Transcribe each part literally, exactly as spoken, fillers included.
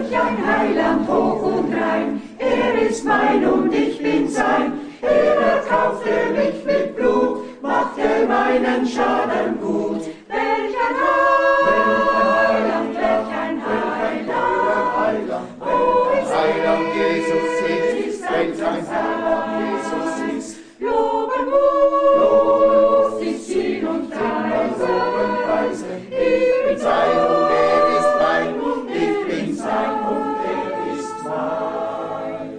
Welch ein Heiland hoch und rein, er ist mein und ich bin sein. Er erkaufte mich mit Blut, machte meinen Schaden gut. Welch ein Heiland, welch ein Heiland, oh, ich Heiland Jesus ist, wenn sein Heiland Jesus ist. Loben muss ich ihn und preisen. Ich bin sein und er ist mein, und ich bin sein und er ist mein.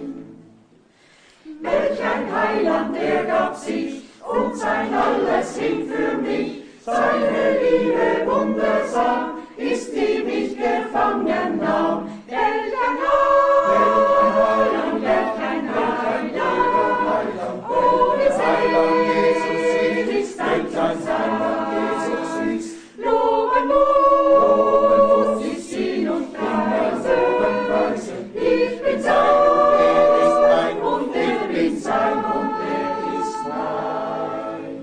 Welch ein Heiland, er gab sich und sein alles hin für mich. Seine Liebe wundersam ist, die mich gefangen nahm. Welch ein Heiland, welch ein Heiland, oh, wie Heiland Jesus ist, ein Heiland Jesus ist. Loben muss ich ihn und preisen. Ich bin sein und er ist mein, und ich bin sein und er ist mein.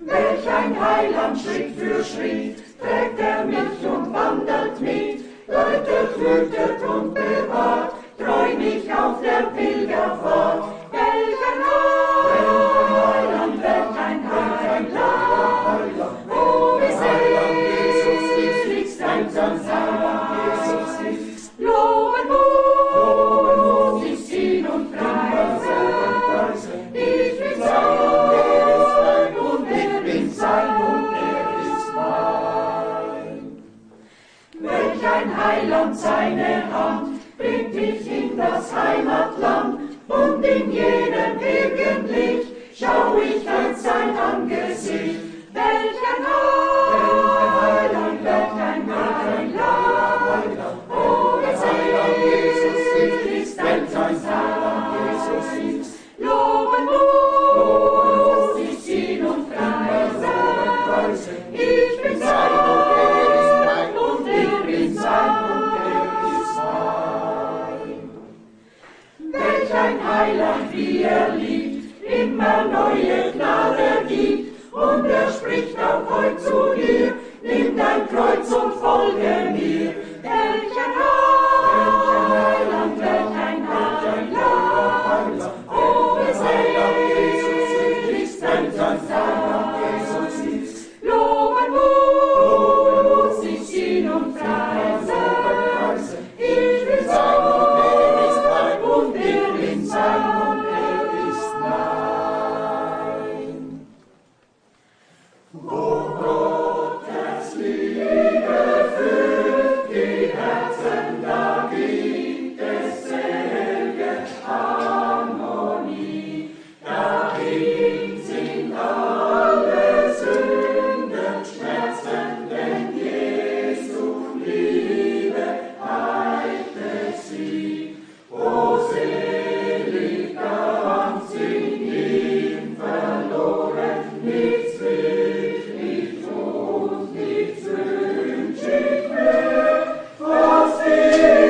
Welch ein Heiland Schritt für Schritt trägt er mich und wandelt mit, leitet, hütet und bewahrt, treu mich auf der Pilgerfahrt. Welch ein Heiland, welch ein Heiland, oh, wie Heiland Jesus ist, ein Heiland Jesus ist. Loben muss ich ihn und preisen. Ich bin sein und er ist mein, und ich bin sein und er ist mein. Welch ein Heiland, seine Hand bringt mich in das Heimatland, und in jenem Gegenlicht schau ich als sein Angesicht. Welch ein Heiland, welch ein Heiland, oh, wie Heiland Jesus ist, ein Heiland Jesus ist. Loben muss ich ihn und preisen. Ich bin sein und er ist mein, und ich bin sein und er ist mein. Welch ein Heiland, wie er liebt, immer neue Gnade gibt, und er spricht auch heut zu dir, nimm dein Kreuz und folge mir. Welch ein Heiland, welch ein Heiland, oh, wie Heiland Jesus ist, ein Heiland Jesus ist. Loben muss ich ihn und preisen. Ich bin sein und er ist mein, und ich bin sein und er ist mein. Wo Gottes Liebe füllt die Herzen, da gibt es selge Harmonie. Dahin sind alle Sünden Schmerzen, denn Jesu Liebe heilte sie. O selig ganz in ihm verloren, nichts will ich und nichts wünsch ich mehr, was ich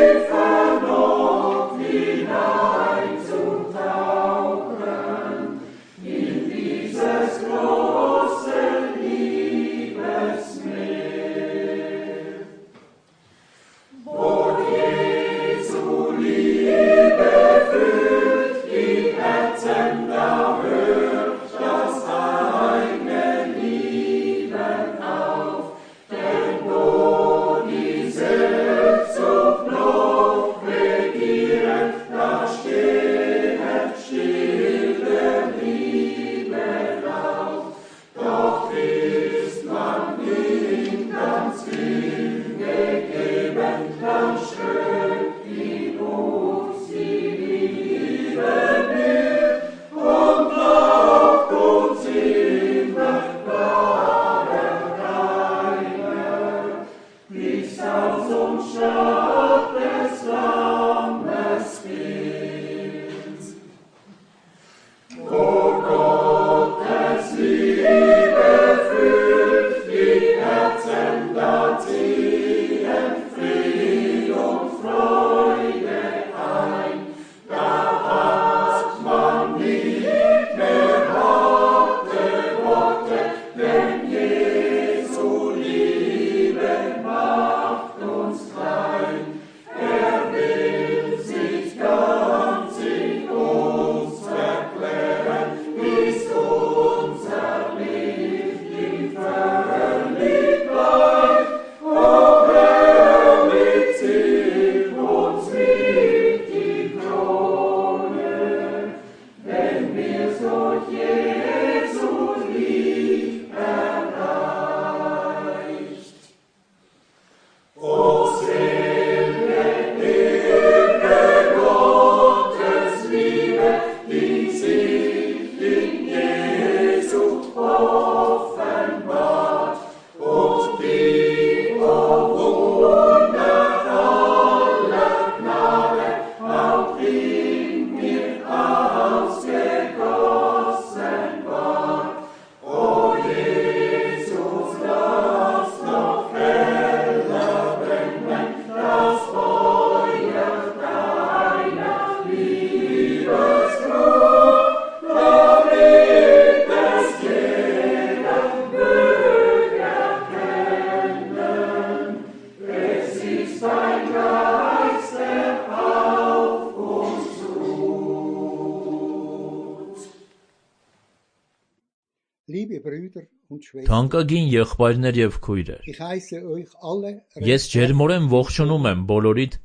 Liebe Brüder und Schwestern, Թանկագին եղբայրներ եւ քույրեր, ich heiße euch alle ես ջերմորեն ողջունում եմ բոլորիդ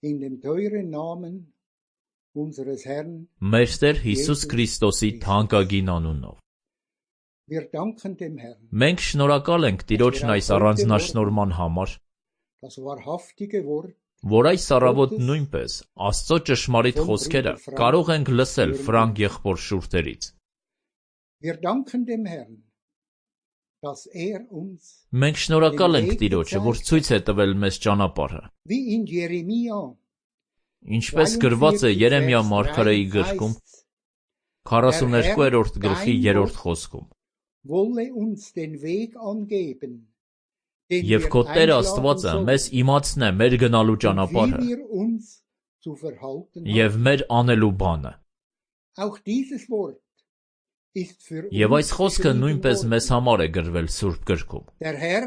in dem teuren Namen unseres Herrn. մեր Տեր Հիսուս Քրիստոսի թանկագին անունով։ Wir danken dem Herrn, Մենք շնորհակալ ենք Տիրոջն այս առանձնաշնորհման համար, das wahrhaftige Wort որ այս առավոտ նույնպես Աստծո ճշմարիտ խոսքերը կարող ենք լսել Ֆրանկ եղբոր շուրթերից։ Wir danken dem Herrn, dass er uns, Մենք շնորհակալ ենք Տիրոջը, որ ցույց է տվել մեզ ճանապարհը։ wie in Jeremia Ինչպես գրված է Երեմիա մարգարեի գրքում քառասուներկուերորդ գլխի երրորդ խոսքում։ wolle uns den Weg angeben, den Եվ wir քո Տերը einschlagen Աստվածը sollen, մեզ իմացնե մեր գնալու und wie ճանապարհը wir uns zu verhalten եւ haben. մեր անելու բանը։ Auch dieses Wort ist für Եվ uns այս խոսքը geschrieben նույնպես worden. մեզ համար է գրվել Սուրբ գրքում։ Der Herr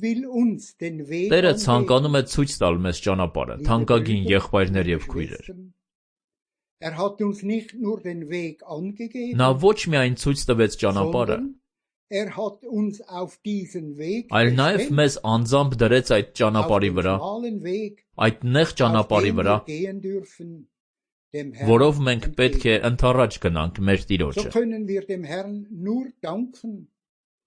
will uns den Weg Տերը angeben. ցանկանում է ցույց տալ մեզ ճանապարհը, Liebe թանկագին Brüder, եղբայրներ եւ liebe քույրեր։ Schwestern, Er hat uns nicht nur den Weg angegeben, Նա ոչ միայն ցույց տվեց ճանապարհը, sondern er hat uns auf diesen Weg այլ նաև gestellt, մեզ անձամբ դրեց այդ auf ճանապարհի den վրա, schmalen Weg, այդ նեղ auf ճանապարհի dem վրա, wir gehen dürfen, dem Herrn որով մենք պետք է entgegen. ընթառաջ գնանք մեր So Տիրոջը։ können wir dem Herrn nur danken,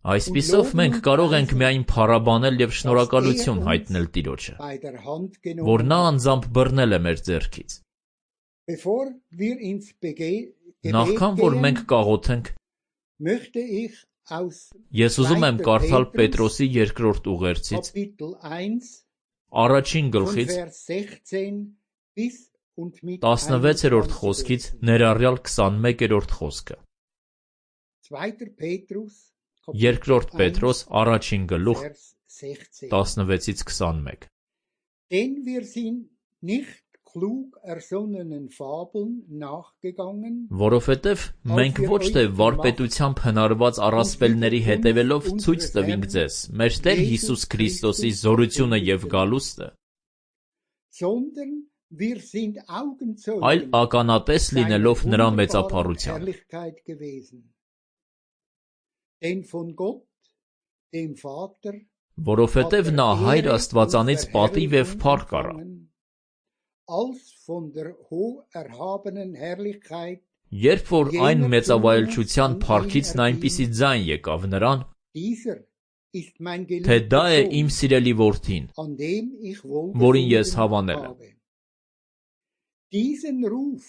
Այսպիսով մենք կարող ենք միայն փառաբանել եւ շնորհակալություն հայտնել Տիրոջը, bei der Hand որ genommen. նա անձամբ բռնել է մեր ձեռքից։ Bevor wir ins Bege- Gebet Նախքան որ gehen, մենք կաղոթենք, möchte ich aus ես ուզում եմ Zweiter կարդալ Petrus, Պետրոսի երկրորդ ուղերձից Kapitel eins, առաջին von գլխից Vers sechzehn bis und mit տասնվեցերորդ einundzwanzig խոսքից lesen. ներառյալ քսանմեկերորդ խոսքը։ Zweiter Petrus, Kapitel Երկրորդ eins, Պետրոս առաջին գլուխ Vers sechzehn. տասնվեցից քսանմեկ։ Denn wir sind nicht klug ersonnenen Fabeln nachgegangen, Որովհետև մենք ոչ թե վարպետությամբ հնարված առասպելների հետևելով ցույց տվինք ձեզ մեր Տեր Հիսուս Քրիստոսի զորությունը եւ գալուստը, sondern wir sind այլ Augenzeugen ականատես լինելով seiner նրա wunderbaren մեծափառության։ Herrlichkeit gewesen. Denn von Gott, dem Vater, Որովհետև նա Հայր Աստվածանից պատիվ եւ փառք առա, als von der hoch erhabenen Herrlichkeit երբ որ այն մեծավայելչության փառքիցն այնպիսի ձայն եկավ նրան, dieser ist mein թե դա է geliebter իմ Sohn, սիրելի որդին, an dem ich որին ես wohlgefunden հավանել եմ։ habe. Diesen Ruf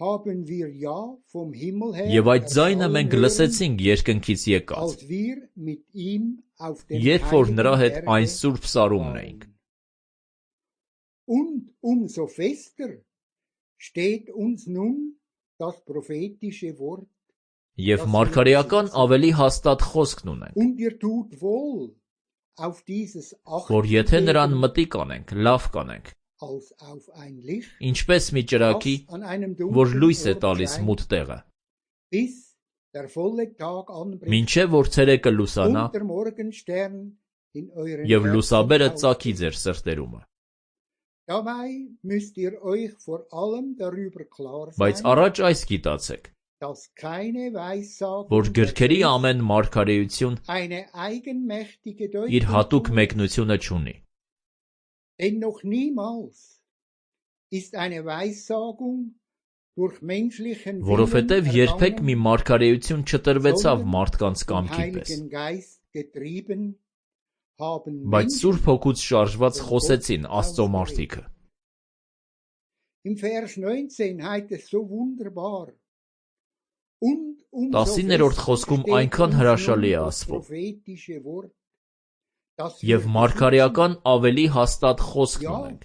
haben wir ja vom Himmel her Եվ այդ ձայնը erschallen մենք hören, լսեցինք երկնքից եկած, als wir mit ihm auf dem երբ որ նրա հետ heiligen այն Berge սուրբ սարումն waren. էինք։ Und umso fester steht uns nun das prophetische Wort, Եվ մարգարեական ավելի հաստատ խոսքն ունենք, und ihr tut wohl auf dieses որ Acht եթե նրան geben, մտիկ անենք, լավ կանենք, als auf ein Licht, ինչպես մի ճրագի, das an einem որ dunklen լույս է Ort տալիս scheint, մութ տեղը, bis der volle Tag anbricht մինչև որ ցերեկը լուսանա und der Morgenstern in euren եւ Herzen լուսաբերը aufgeht. ծագի ձեր սրտերումը։ Dabei müsst ihr euch vor allem darüber klar Բայց sein, առաջ այս գիտացեք, dass keine Weissagung որ der գրքերի Schrift ամեն մարգարեություն eine eigenmächtige իր հատուկ Deutung tut. մեկնությունը չունի, Denn noch niemals ist eine Weissagung durch menschlichen որովհետև Willen երբեք մի ergangen, մարգարեություն չտրվեցավ sondern մարդկանց vom կամքի պես, Heiligen Geist getrieben haben բայց Menschen Սուրբ Հոգուց շարժված խոսեցին Աստծո մարդիկը։ Im Vers neunzehn heißt es so wunderbar. Und umso տասիններորդ fester խոսքում steht այնքան uns հրաշալի nun է das ասվում, prophetische Wort, dass եւ wir մարգարեական ավելի հաստատ besitzen. խոսքն Ja, ունենք։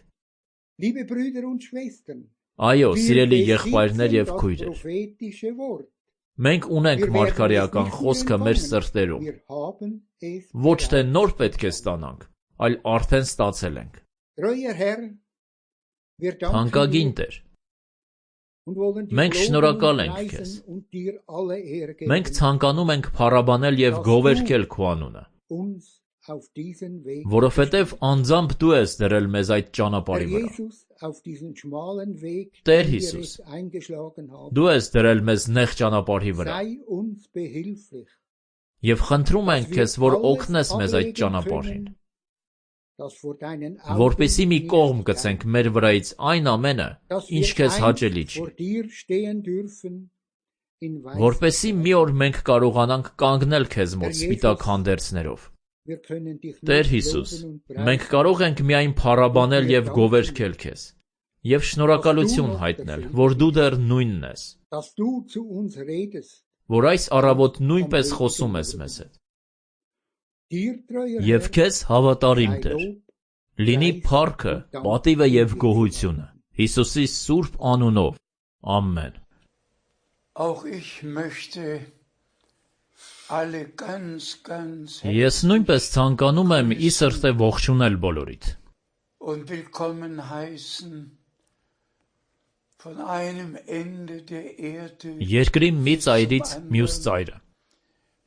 liebe Brüder und Schwestern, Այո, wir սիրելի besitzen եղբայրներ եւ das քույրեր, prophetische Wort. մենք ունենք Wir werden es մարգարեական nicht nur խոսքը մեր empfangen, սրտերում, wir haben es ոչ թե bereits նոր պետք է empfangen. ստանանք, այլ արդեն ստացել ենք։ Treuer Herr, wir danken Թանկագին dir Տեր, und wollen dir մենք loben շնորհակալ und ենք քեզ։ preisen und dir alle Ehre Մենք geben, ցանկանում ենք փառաբանել եւ գովերգել քո անունը, uns auf diesen Weg Որովհետև անձամբ դու ես դրել մեզ այդ Der ճանապարհի վրա։ Jesus auf diesen schmalen Weg, Տեր den wir Հիսուս, es eingeschlagen haben, դու ես դրել մեզ նեղ ճանապարհի վրա։ sei uns behilflich, Եվ խնդրում ենք dass քեզ, wir որ alles օգնես մեզ այդ ablegen ճանապարհին, können, das vor deinen որպեսզի Augen մի nicht կողմ steigt, գցենք մեր վրայից այն ամենը, dass ինչ wir քեզ einst հաճելի չի, vor dir stehen dürfen in որպեսզի Weisheit. մի օր մենք կարողանանք կանգնել քեզ մոտ Տեր սպիտակ Եզուս, հանդերձներով։ Wir können dich nur Տեր Հիսուս, loben und մենք preisen, կարող ենք միայն փառաբանել եւ գովերգել քեզ եւ շնորհակալություն հայտնել, որ դու դեռ նույնն ես, dass du zu uns redest. որ այս առավոտ նույնպես խոսում ես մեզ հետ։ Dir, treuer Եվ Herr, քեզ հավատարիմ sei Տեր, Lob, լինի Preis փառքը, und Dank պատիվը եւ in գոհությունը Հիսուսի սուրբ անունով։ Ամեն։ Auch ich möchte alle ganz, ganz Ես նույնպես ցանկանում եմ ի սրտե ողջունել բոլորիդ und willkommen heißen von einem Ende der Erde երկրի մի ծայրից մյուս ծայրը,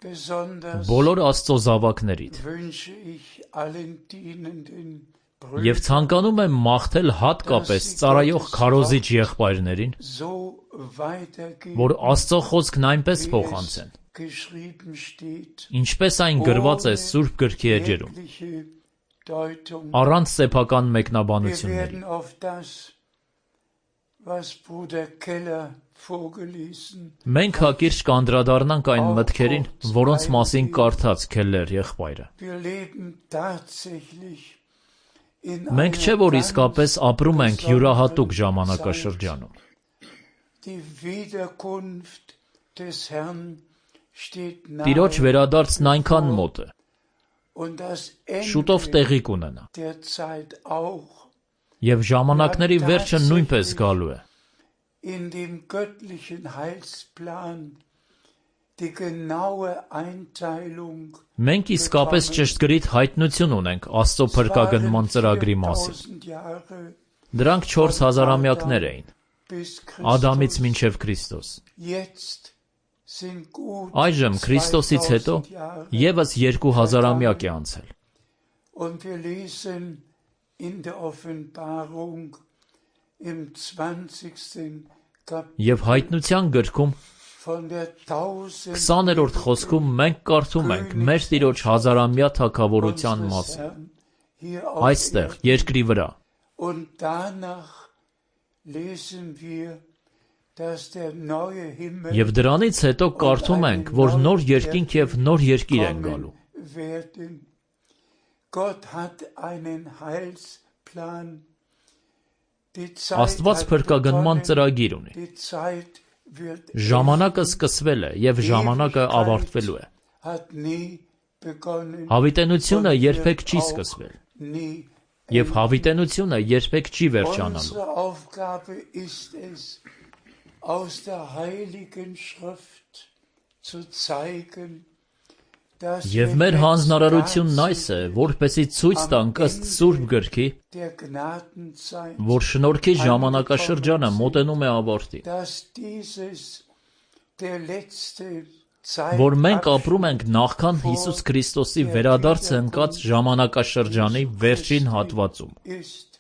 besonders բոլոր Աստծո զավակներիդ, wünsche ich allen dienenden եւ Brüdern ցանկանում եմ մաղթել հատկապես ծառայող քարոզիչ եղբայրներին, so weitergeben, որ Աստծո խոսքն այնպես wie փոխանցեն, es geschrieben steht, ինչպես այն գրված է Սուրբ Գրքի էջերում, jegliche Deutung. առանց սեփական Wir մեկնաբանությունների։ werden auf das, was Bruder Keller vorgelesen, Մենք հակիրճ կանդրադառնանք այն մտքերին, որոնց մասին կարդաց Քելլեր եղբայրը։ wir leben tatsächlich in Մենք չէ einer որ ganz իսկապես ապրում ենք յուրահատուկ besonderen ժամանակաշրջանում։ Zeit. Die Wiederkunft des Herrn steht Տիրոջ nahe վերադարձն այնքան մոտ է, und das շուտով Ende տեղի կունենա, der Zeit auch. եւ ժամանակների վերջը նույնպես գալու է։ In dem göttlichen Heilsplan die genaue Einteilung Մենք իսկապես ճշգրիտ հայտնություն ունենք Աստծո փրկագնման ծրագրի մասին։ viertausend Jahre Դրանք չորս հազարամյակներ էին, bis Ադամից Christus. մինչև Քրիստոս։ Jetzt sind gut Այժմ Քրիստոսից հետո zweitausend Jahre եւս երկու հազարամյակ է անցել։ und wir lesen in der Offenbarung im zwanzigsten Kapitel Եվ հայտնության գրքում von der tausend քսաներորդ խոսքում մենք կարդում ենք մեր Տիրոջ հազարամյա թագավորության unseres մասին, Herrn hier auf այստեղ Erden. երկրի վրա։ Und danach lesen wir, dass der neue Himmel Եվ դրանից հետո կարդում ենք, որ նոր երկինք եւ նոր երկիր են գալու։ kommen werden. Gott hat einen Heilsplan. Die Zeit Աստված hat փրկագնման begonnen. ծրագիր ունի։ Die Zeit wird Ժամանակը սկսվել է եւ ժամանակը ավարտվելու է։ hat nie begonnen. Հավիտենությունը und երբեք wird չի auch սկսվել, nie եւ հավիտենությունը երբեք չի վերջանալու։ Unsere Aufgabe ist es, aus der Heiligen Schrift zu zeigen, dass Եվ մեր հանձնարարությունն այս է, որպեսզի ցույց տանք ըստ Սուրբ Գրքի, der Gnadenzeit, որ շնորհքի ժամանակաշրջանը մոտենում է ավարտին, dass dieses der letzte որ մենք ապրում ենք նախքան Հիսուս Քրիստոսի վերադարձը ընկած ժամանակաշրջանի վերջին հատվածում, ist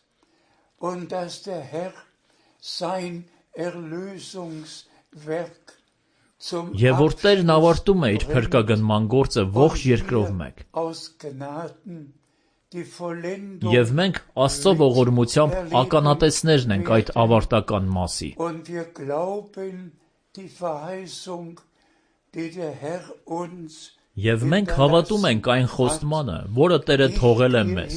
und dass der Herr sein Erlösungswerk zum եւ որ Տերն ավարտում է իր փրկագնման գործը ողջ երկրով մեկ, aus Gnaden die Vollendung եւ մենք Աստծո ողորմությամբ ականատեսներն ենք այդ ավարտական մասի, und wir glauben die Verheißung, die der Herr uns եւ մենք հավատում ենք այն խոստմանը, որը Տերը թողել է մեզ։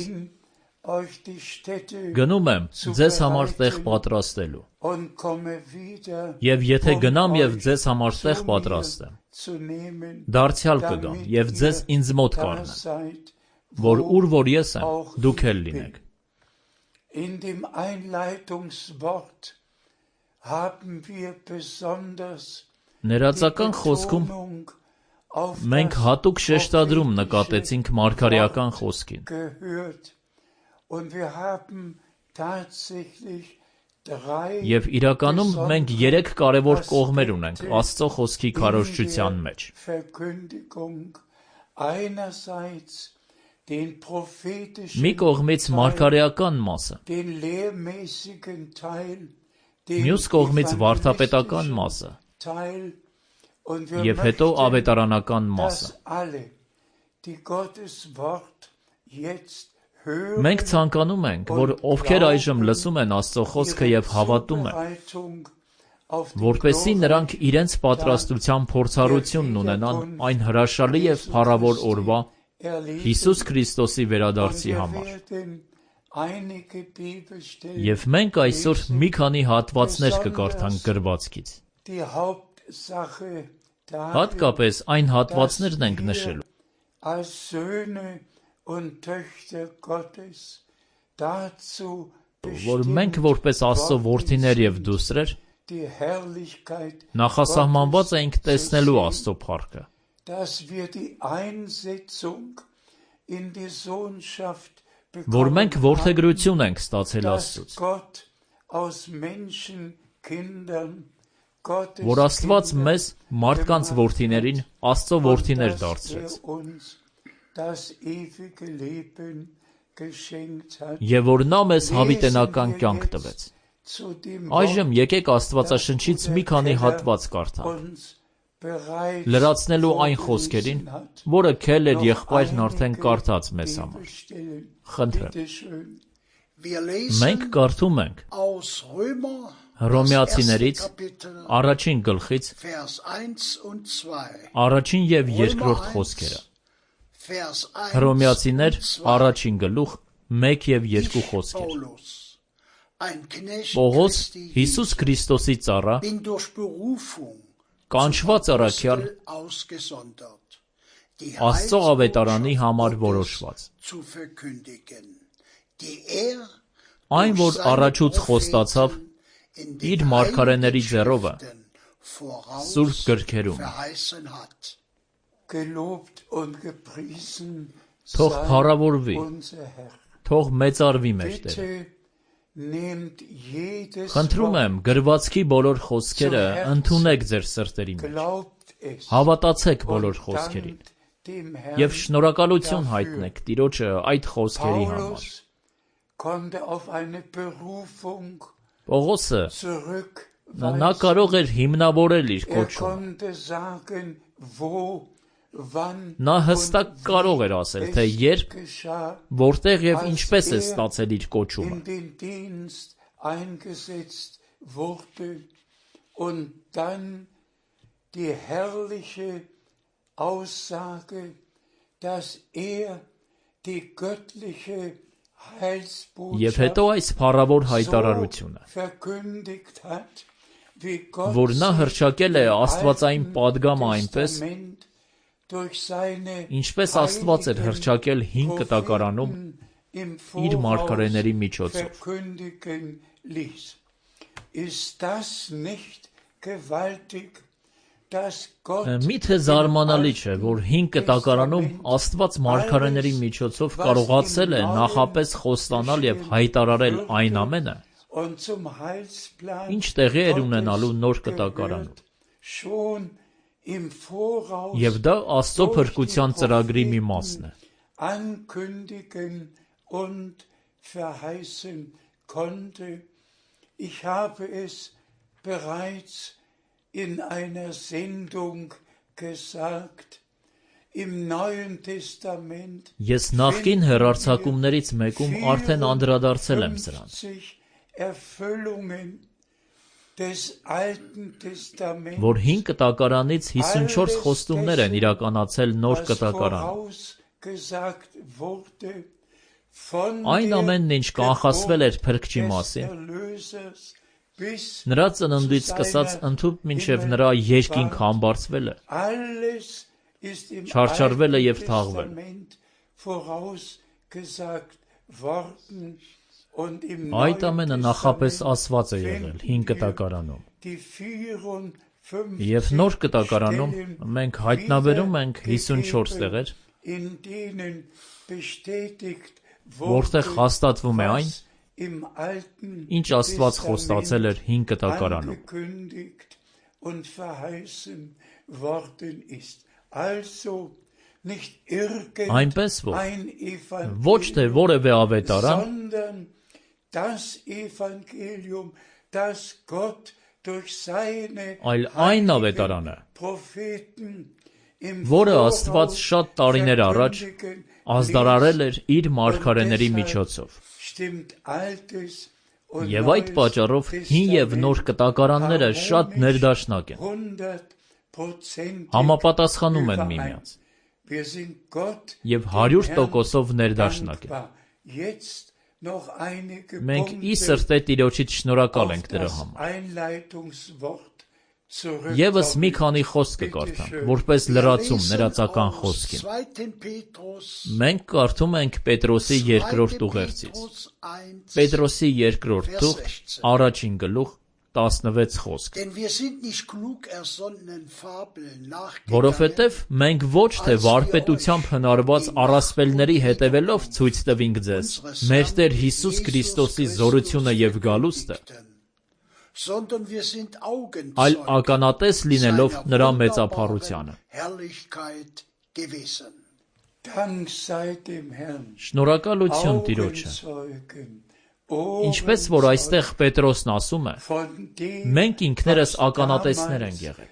euch die Städte Գնում եմ ձեզ համար տեղ պատրաստելու, und komme wieder եւ եթե um գնամ եւ euch ձեզ համար zu տեղ mir պատրաստեմ, zu nehmen, դարձյալ կգամ damit եւ ձեզ ihr ինձ մոտ da կառնեմ, seid, որ wo ուր որ ես եմ, auch դուք ich էլ bin. լինեք։ In dem Einleitungswort haben wir besonders Ներածական խոսքում մենք հատուկ շեշտադրում նկատեցինք մարգարեական խոսքին, gehört und wir haben tatsächlich drei եւ իրականում մենք երեք կարևոր կողմեր ունենք Աստծո խոսքի քարոզչության մեջ։ Verkündigung einerseits den prophetischen մի կողմից Teil, մարգարեական մասը, den lehrmäßigen Teil, den մյուս կողմից վարդապետական evangelistischen մասը Teil, und wir եւ հետո möchten, ավետարանական մասը։ dass alle, die Gottes Wort jetzt hören, Մենք ցանկանում ենք, որ ովքեր այժմ լսում են Աստծո խոսքը եւ հավատում են, Zubereitung auf den որպեսզի նրանք glorreichen իրենց պատրաստության փորձառությունն ունենան այն հրաշալի եւ փառավոր օրվա erleben. Հիսուս Քրիստոսի Und վերադարձի wir համար։ werden einige Bibelstellen, Եվ մենք այսօր մի քանի հատվածներ կկարդանք գրվածքից։ die Hauptsache darin, Հատկապես այն հատվածներն ենք dass wir նշելու, als Söhne und Töchter Gottes dazu որ մենք bestimmt որպես Աստծո worden որդիներ եւ sind, դուսրեր die Herrlichkeit նախասահմանված Gottes ենք zu տեսնելու sehen, Աստծո փառքը, dass wir die Einsetzung in die Sohnschaft որ bekommen մենք haben, որդեգրություն ենք ստացել dass Աստծուց, Gott aus Menschenkindern Gottes որ Աստված Kinder մեզ մարդկանց որդիներին Աստծո und որդիներ dass դարձրեց, er uns das ewige Leben geschenkt hat. եւ որ նա մեզ հավիտենական Lesen wir կյանք jetzt տվեց։ zu dem Այժմ Wort, եկեք Աստվածաշնչից մի քանի հատված կարդանք, uns bereits լրացնելու այն խոսքերին, vorgelesen hat. որը Քելեր Noch եղբայրն արդեն einige կարդաց մեզ համար։ Bibelstellen. Խնդրեմ, Bitte schön. Wir մենք lesen կարդում ենք aus Römer, das Հռոմեացիներից erste Kapitel, առաջին գլխից Vers eins und zwei. առաջին եւ Römer երկրորդ eins, խոսքերը։ Vers eins Հռոմեացիներ und zwei. առաջին գլուխ մեկ եւ երկու Ich, խոսքեր։ Paulus, ein Knecht Պողոս Christi Հիսուս Քրիստոսի ծառա, bin durch Berufung կանչված zum առաքյալ, Apostel ausgesondert, die Աստծո ավետարանի Heilsbotschaft համար Gottes որոշված, zu verkündigen, die er այն, որ durch seine առաջուց խոստացավ Propheten in իր den մարգարեների Heiligen ձեռովը Schriften voraus Սուրբ գրքերում։ verheißen hat. Gelobt und gepriesen Թող sei փառավորվի, unser Herr. թող մեծարվի մեր Տերը։ Bitte nehmt jedes Խնդրում եմ, Wort, գրվածքի բոլոր խոսքերը ընդունեք ձեր սրտերի մեջ, glaubt es հավատացեք բոլոր und խոսքերին dankt dem եւ Herrn. շնորհակալություն dafür. հայտնեք Տիրոջը այդ խոսքերի համար։ Paulus konnte auf eine Berufung Պողոսը նա zurückweisen. կարող էր հիմնավորել իր Er կոչումը։ konnte sagen, wo, wann Նա հստակ und կարող էր ասել, թե es երբ, geschah, որտեղ եւ als ինչպես է er ստացել իր կոչումը։ in den Dienst eingesetzt wurde und dann die herrliche Aussage, dass er die göttliche Եվ հետո Heilsbotschaft այս փառավոր so հայտարարությունը, verkündigt hat, wie Gott որ նա sich հռչակել է im աստվածային Alten պատգամը այնպես, Testament durch seine ինչպես Աստված էր հռչակել հին կտակարանում Propheten im իր մարգարեների Voraus միջոցով։ verkündigen ließ. Ist das nicht gewaltig, dass Gott Միթե im զարմանալի չէ, Alten որ հին կտակարանում Testament Աստված մարգարեների միջոցով կարողացել է նախապես խոստանալ եւ հայտարարել այն ամենը, und zum Heilsplan ինչ տեղի էր Gottes ունենալու նոր կտակարանում։ gehört, schon im Voraus Եվ դա Աստծո durch փրկության die ծրագրի մի Propheten մասն է։ ankündigen und verheißen konnte. Ich habe es bereits in einer Sendung gesagt. Im Neuen Testament Ես նախկին հեռարձակումներից մեկում արդեն անդրադարձել եմ սրան, vierundfünfzig Erfüllungen des Alten Testaments, որ հին կտակարանից հիսունչորս խոստումներ են իրականացել նոր was կտակարանում։ vorausgesagt wurde von Այն ամենն, ինչ կանխասվել էր Փրկչի des մասին, Erlösers bis նրա ծննդից սկսած ընդհուպ մինչև նրա երկինք համբարձվելը, alles ist im չարչարվել է Alten եւ թաղվել։ Testament vorausgesagt worden und im Այդ Neuen ամենը նախապես Testament ասված է եղել հին finden wir կտակարանում։ die vierundfünfzig Եվ նոր կտակարանում Stellen մենք հայտնաբերում ենք հիսունչորս wiedergegeben, տեղեր, in denen bestätigt որտեղ wurde, հաստատվում է այն, was im Alten ինչ Աստված խոստացել էր հին կտակարանում։ angekündigt und verheißen worden ist. Also Այնպես որ ոչ թե որևէ ավետարան, այլ այն ավետարանը, որը Աստված շատ տարիներ առաջ ազդարարել էր իր մարգարեների միջոցով։ Եվ այդ պատճառով հին և նոր կտակարանները շատ ներդաշնակ են, համապատասխանում են միմյանց և հարյուր տոկոսով ներդաշնակ են։ Մենք ի սրտե Տիրոջից շնորհակալ ենք դրա համար։ Եվս մի քանի խոսք կկարդանք, որպես լրացում նրածական խոսքին։ Մենք կարդում ենք Պետրոսի երկրորդ ուղերձից։ Պետրոսի երկրորդ թուղթ, առաջին գլուխ, տասնվեց խոսք։ Որովհետև մենք ոչ թե վարպետությամբ հնարված առասպելների հետևելով ցույց տվինք ձեզ մեր Տեր Հիսուս Քրիստոսի զորությունը և գալուստը, այլ ականատես լինելով նրա մեծափառությանը։ Շնորհակալություն Տիրոջը։ Ինչպես որ այստեղ Պետրոսն ասում է, մենք ինքներս ականատեսներ ենք եղել։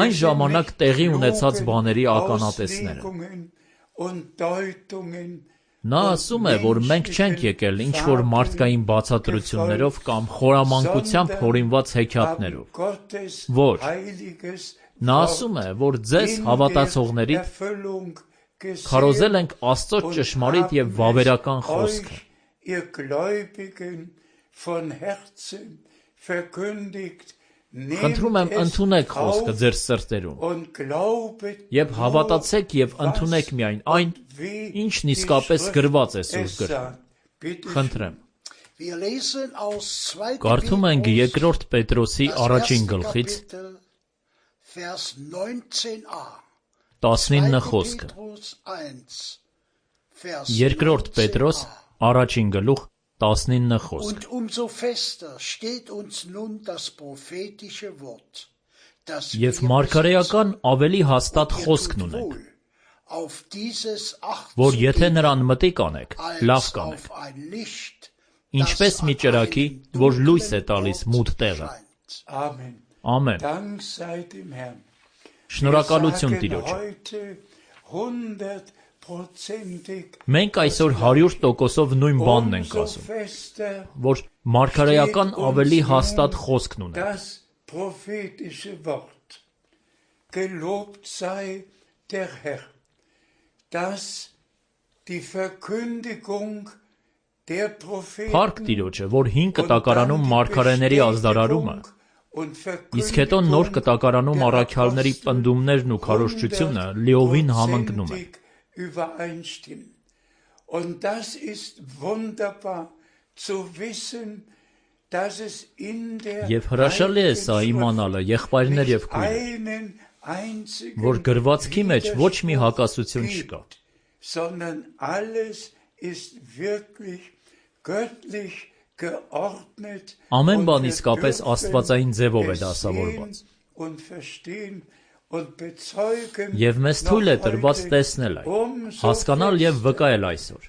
Այն ժամանակ տեղի ունեցած բաների ականատեսները։ Նա ասում է, որ մենք չենք եկել ինչ-որ մարդկային բացատրություններով կամ խորամանկությամբ հորինված հեքիաթներով, ոչ։ Նա ասում է, որ ձեզ հավատացողներից քարոզել ենք Աստծո ճշմարիտ և վավերական խոսքը։ Խնդրում եմ ընդունեք խոսքը ձեր սրտերում և հավատացեք և ընդունեք միայն այն, ինչն իսկապես գրված է Սուրբ գրքում։ Խնդրեմ։ Կարդում ենք երկրորդ Պետրոսի առաջին գլխից տասնինը խոսքը։ Երկրորդ Պետրոս առաջին գլուխ տասնինը խոսք։ Եվ մարգարեական ավելի հաստատ խոսքն ունենք, որ եթե նրան մտիկ անեք, լավ կանեք, ինչպես մի ճրագի, որ լույս է տալիս մութ տեղը։ Ամեն։ Շնորհակալություն Տիրոջը։ Մենք այսօր հարյուր տոկոսով նույն բանն ենք ասում, որ մարգարեական ավելի հաստատ խոսքն ունենք։ Փառք Տիրոջը, որ հին կտակարանում մարգարեների ազդարարումը, իսկ հետո նոր կտակարանում առաքյալների պնդումներն ու քարոզչությունը լիովին համընկնում են։ Եվ հրաշալի է սա իմանալը, եղբայրներ և քույրեր, որ գրվածքի մեջ ոչ մի հակասություն չկա, ամեն բան իսկապես աստվածային ձևով է դասավորված։ Եվ մեզ թույլ է տրված տեսնել այն, հասկանալ և վկայել այսօր։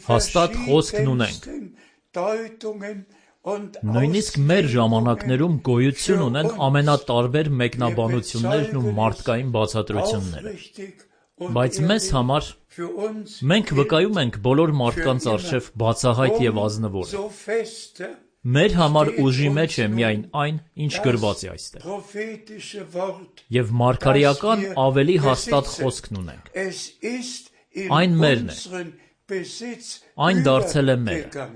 Հաստատ խոսքն ունենք։ Նույնիսկ մեր ժամանակներում գոյություն ունեն ամենատարբեր մեկնաբանություններն ու մարդկային բացատրությունները։ Բայց մեզ համար մենք վկայում ենք բոլոր մարդկանց առջև բացահայտ և ազնվորը։ Մեր համար ուժի մեջ է միայն այն, ինչ գրված է այստեղ։ Եվ մարգարեական ավելի հաստատ խոսքն ունենք։ Այն մերն է։ Այն դարձել է մերը։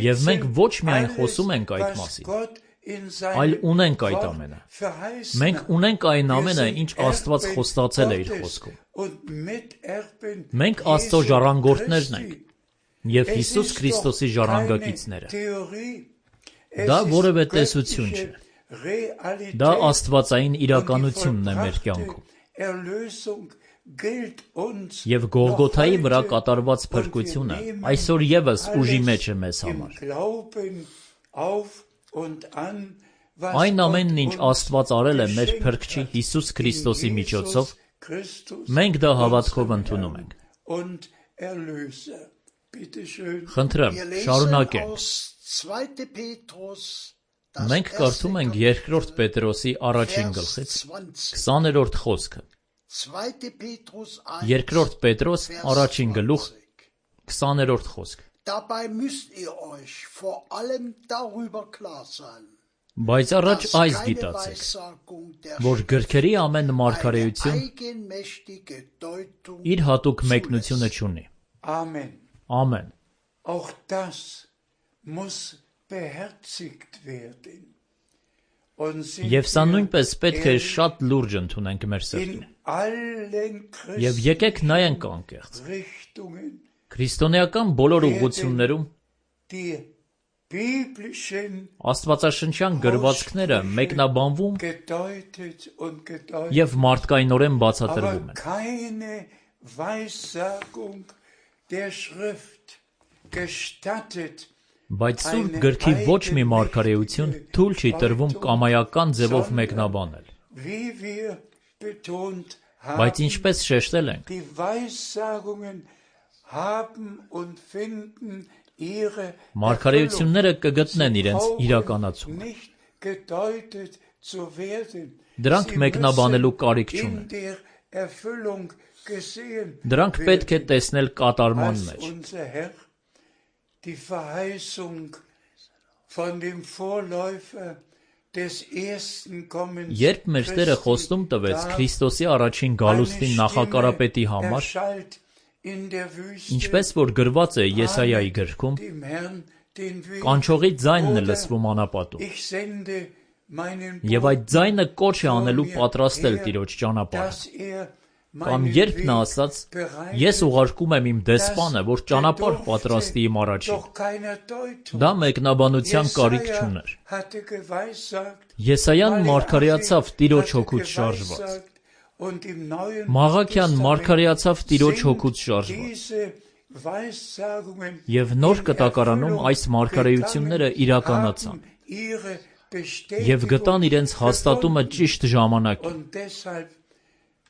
Եվ մենք ոչ միայն խոսում ենք այդ մասին, այլ ունենք այդ ամենը։ Մենք ունենք այն ամենը, ինչ Աստված խոստացել է իր խոսքում։ Մենք Աստծո ժառանգորդներն ենք և Հիսուս Քրիստոսի ժառանգակիցները։ Դա որևէ տեսություն չէ։ Դա աստվածային իրականությունն է մեր կյանքում։ Եվ Գողգոթայի վրա կատարված փրկությունը այսօր ևս ուժի մեջ է մեզ համար։ Այն ամենն, ինչ Աստված արել է մեր Փրկչի Հիսուս Քրիստոսի միջոցով, մենք դա հավատքով ընդունում ենք։ Խնդրեմ, շարունակենք։ Մենք կարդում ենք երկրորդ Պետրոսի առաջին գլխից քսաներորդ խոսքը։ Երկրորդ Պետրոս առաջին գլուխ քսաներորդ խոսք։ Dabei müsst ihr euch vor allem darüber klar sein, Բայց առաջ այս գիտացեք, որ գրքերի ամեն մարգարեություն իր հատուկ մեկնությունը չունի։ Amen. Ամեն։ Auch das muss beherzigt werden. Und sind Եվ սա wir նույնպես պետք է ehrlich շատ լուրջ ընդունենք մեր սրտին։ in allen Եվ եկեք նայենք անկեղծ։ Richtungen Քրիստոնեական բոլոր ուղղություններում die biblischen աստվածաշնչյան գրվածքները մեկնաբանվում gedeutet und gedeutet, եւ մարդկայնորեն aber բացատրվում են։ keine Weissagung der Schrift gestattet. Բայց Սուրբ գրքի ոչ մի մարգարեություն թույլ չի տրվում կամայական ձևով մեկնաբանել։ Wie wir betont Բայց haben, ինչպես շեշտել ենք, die Weissagungen haben und finden ihre մարգարեությունները կգտնեն Sie իրենց brauchen իրականացումը։ nicht gedeutet zu werden. Դրանք Sie մեկնաբանելու müssen կարիք in չունեն։ der Erfüllung gesehen Դրանք պետք է werden, տեսնել կատարման als մեջ։ unser Herr die Verheißung von dem Vorläufer des ersten Kommens Երբ մեր Տերը խոստում տվեց Քրիստոսի առաջին գալուստի նախակարապետի համար, erschallt in der Wüste, ինչպես որ գրված է Եսայայի գրքում, dem Herrn den Weg, կանչողի ձայնն է oder լսվում անապատում, ich sende meinen եւ այդ Boten, ձայնը կոչ է անելու պատրաստել Տիրոջ ճանապարհը։ dass er Կամ meinen երբ նա Weg ասաց, bereitet, ես ուղարկում եմ իմ դեսպանը, որ ճանապարհ bedurfte պատրաստի իմ առաջին։ doch keiner Deutung. Դա մեկնաբանության կարիք Jesaja չուներ։ hatte geweissagt, Եսայան Maleachi մարգարեացավ Տիրոջ hatte հոգուց շարժված։ geweissagt, und im Neuen Մաղաքյան Testament մարգարեացավ Տիրոջ sind հոգուց շարժված։ diese Weissagungen Եվ նոր in կտակարանում Erfüllung այս մարգարեությունները gegangen, իրականացան haben ihre եւ գտան Bestätigung իրենց հաստատումը gefunden. ճիշտ ժամանակին։ Und deshalb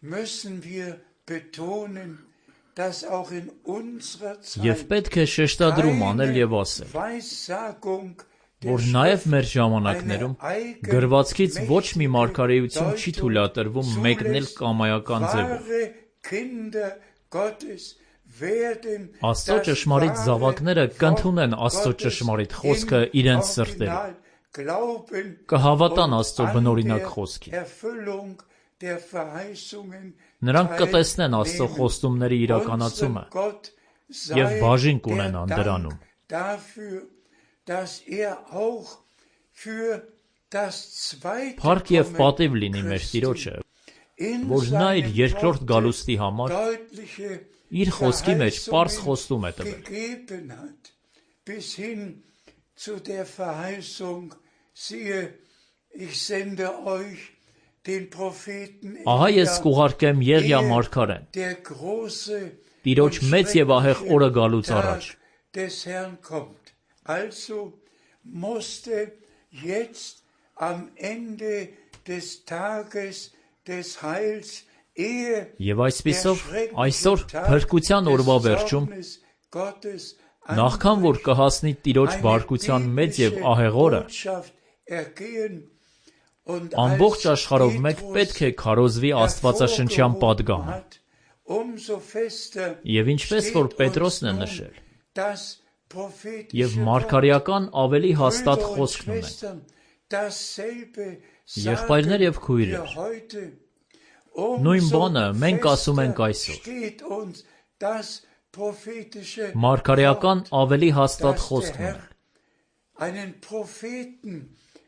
müssen wir betonen, dass auch in unserer Եվ Zeit պետք է շեշտադրում անել եւ ասել, Weissagung der որ նաեւ Schrift մեր ժամանակներում գրվածքից ոչ մի մարգարեություն չի թույլատրվում մեկնել կամայական ձևով։ wahre Kinder Gottes werden Աստծո das ճշմարիտ wahre զավակները կընդունեն Աստծո Gottes ճշմարիտ im խոսքը իրենց սրտերում, Original glauben կհավատան und Աստծո an բնօրինակ der խոսքին։ Erfüllung der Verheißungen Նրանք կտեսնեն Աստծո teilnehmen. խոստումների իրականացումը Unserem Gott եւ sei բաժին der կունենան Dank դրանում։ dafür, dass er auch für das zweite Փառք եւ Kommen պատիվ լինի մեր Christi Տիրոջը, in որ նա իր seinem երկրորդ Worte գալուստի համար deutliche իր խոսքի մեջ պարզ Verheißungen խոստում է տվել։ gegeben hat, bis hin zu der Verheißung, siehe, ich sende euch den Propheten Ահա ես Elia, կուղարկեմ Եղիա ehe մարգարեն, der große Տիրոջ und մեծ եւ ահեղ schreckliche օրը գալուց առաջ։ Tag des Herrn kommt. Also musste jetzt am Ende des Tages des Heils, ehe Եվ այսպիսով der schreckliche այսօր Tag փրկության des օրվա վերջում, Zornes Gottes նախքան որ anbricht, կհասնի Տիրոջ eine բարկության մեծ եւ biblische ահեղ օրը, Botschaft ergehen und ամբողջ als աշխարհով մեկ Petrus պետք է քարոզվի Աստվածաշնչյան hervorgehoben պատգամը։ hat, umso fester Եւ ինչպես որ steht Պետրոսն է uns nun նշել, das prophetische եւ Wort. մարգարեական ավելի հաստատ Brüder und խոսքն ունեն։ Schwestern, dasselbe Եղբայրներ եւ sagen քույրեր, wir heute. նույն Umso բանը մենք ասում ենք fester այսօր։ steht uns das prophetische Մարգարեական Wort, ավելի հաստատ dass der խոսքն Herr ունեն, einen Propheten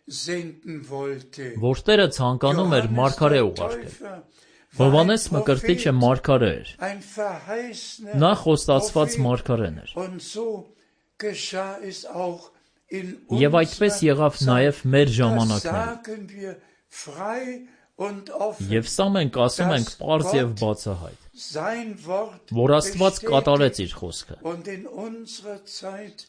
senden wollte. որ Տերը ցանկանում էր մարգարե der ուղարկել։ Täufer war Հովանես ein Մկրտիչը Prophet, մարգարե էր, ein verheißener նա խոստացված Prophet. մարգարեն էր։ Und so geschah es auch in Եվ այդպես unserer եղավ նաև Zeit. մեր Das ժամանակներում։ sagen wir frei und offen. Եվ սա մենք ասում ենք պարզ եւ բացահայտ, Sein Wort որ Աստված կատարեց bestätigt իր խոսքը։ und in unserer Zeit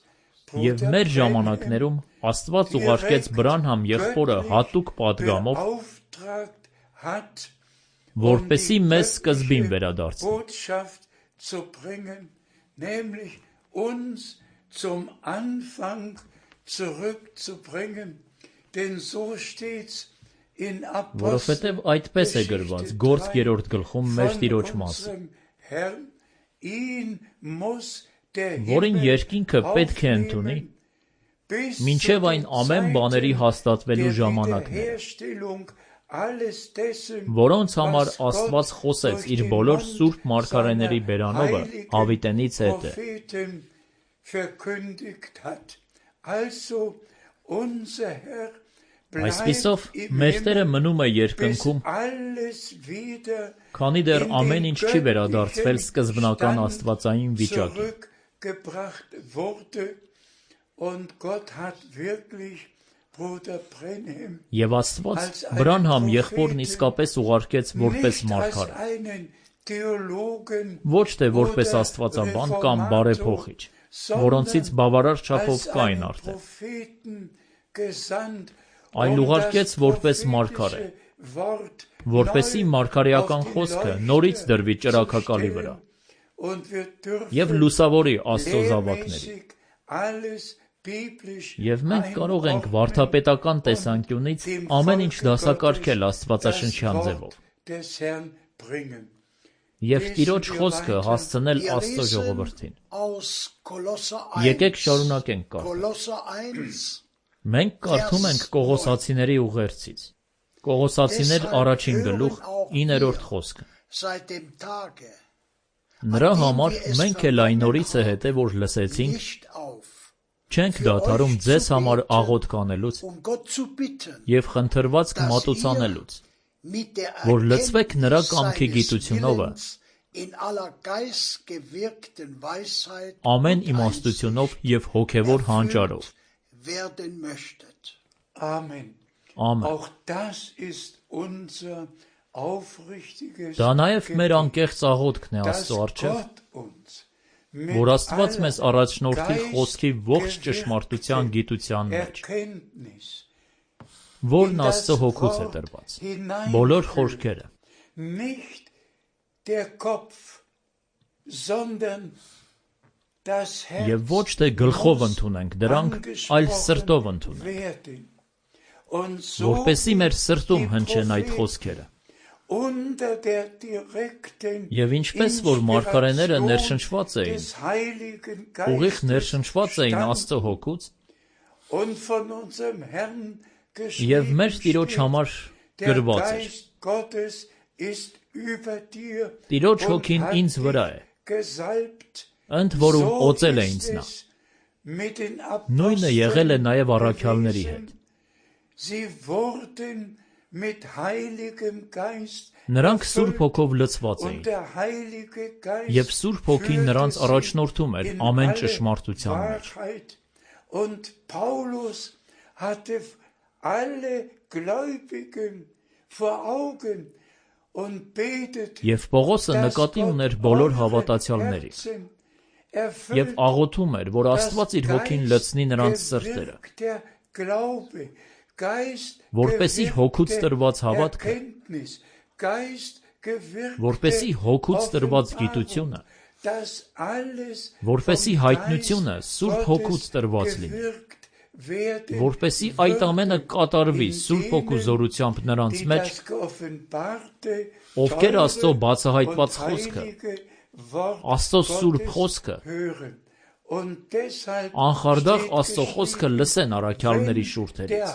Եվ մեր ժամանակներում Աստված ուղարկեց Բրանհամ եղբորը հատուկ պատգամով, որպեսզի մեզ սկզբին վերադարձնի։ Որովհետև այդպես է գրված Գործք երրորդ գլխում մեր Տիրոջ մասին, որին երկինքը պետք է ընդունի, մինչև այն ամեն բաների հաստատվելու ժամանակները, որոնց համար Աստված խոսեց իր բոլոր սուրբ մարգարեների բերանովը հավիտենից հետը։ Այսպիսով, մեր Տերը մնում է երկնքում, քանի դեռ ամեն ինչ չի վերադարձվել սկզբնական աստվածային վիճակին։ Եվ Աստված Բրանհամ եղբորն իսկապես ուղարկեց որպես մարգարե, ոչ թե որպես աստվածաբան կամ բարեփոխիչ, որոնցից բավարար չափով կային արդեն, այլ ուղարկեց որպես մարգարե, որպեսզի մարգարեական խոսքը նորից դրվի ճրագակալի վրա և լուսավորի Աստծո զավակներին։ Եվ մենք կարող ենք վարդապետական տեսանկյունից ամեն ինչ դասակարգել աստվածաշնչյան ձևով և Տիրոջ խոսքը հասցնել Աստծո ժողովրդին։ Եկեք շարունակենք կարդալ։ Մենք կարդում ենք Կողոսացիների ուղերձից, Կողոսացիներ առաջին գլուխ իններորդ խոսքը։ Նրա համար մենք էլ այն օրից է հետո, որ լսեցինք, չենք դադարում ձեզ համար աղոթք անելուց և խնդրվածք մատուցանելուց, որ լցվեք նրա կամքի գիտությունովը, ամեն իմաստությունով և հոգևոր հանճարով։ Ամեն։ Դա նաև մեր անկեղծ աղոթքն է Աստծո առջև, որ Աստված մեզ առաջնորդի խոսքի ողջ ճշմարտության գիտության մեջ, որն Աստծո հոգուց է տրված, բոլոր խորքերը, և ոչ թե գլխով ընդունենք դրանք, այլ սրտով ընդունենք, որպեսզի մեր սրտում հնչեն այդ խոսքերը։ Եվ ինչպես որ մարգարեները ներշնչված էին, ուղիղ ներշնչված էին Աստծո հոգուց, և մեր Տիրոջ համար գրված էր. Տիրոջ հոգին ինձ վրա է, ընդ որում օծել է ինձ նա։ Նույնը եղել է նաև առաքյալների հետ։ Նրանք Սուրբ Հոգով լցված էին, և Սուրբ Հոգին նրանց առաջնորդում էր ամեն ճշմարտության մեջ։ Եվ Պողոսը նկատի ուներ բոլոր հավատացյալներին և աղոթում էր, որ Աստված իր Հոգին լցնի նրանց սրտերը, որպեսզի հոգուց տրված հավատքը, որպեսզի հոգուց տրված գիտությունը, որպեսզի հայտնությունը Սուրբ Հոգուց տրված լինի, որպեսզի այդ ամենը կատարվի Սուրբ Հոգու զորությամբ նրանց մեջ, ովքեր Աստծո բացահայտված խոսքը, Աստծո Սուրբ խոսքը, անխարդախ Աստծո խոսքը լսեն առաքյալների շուրթերից։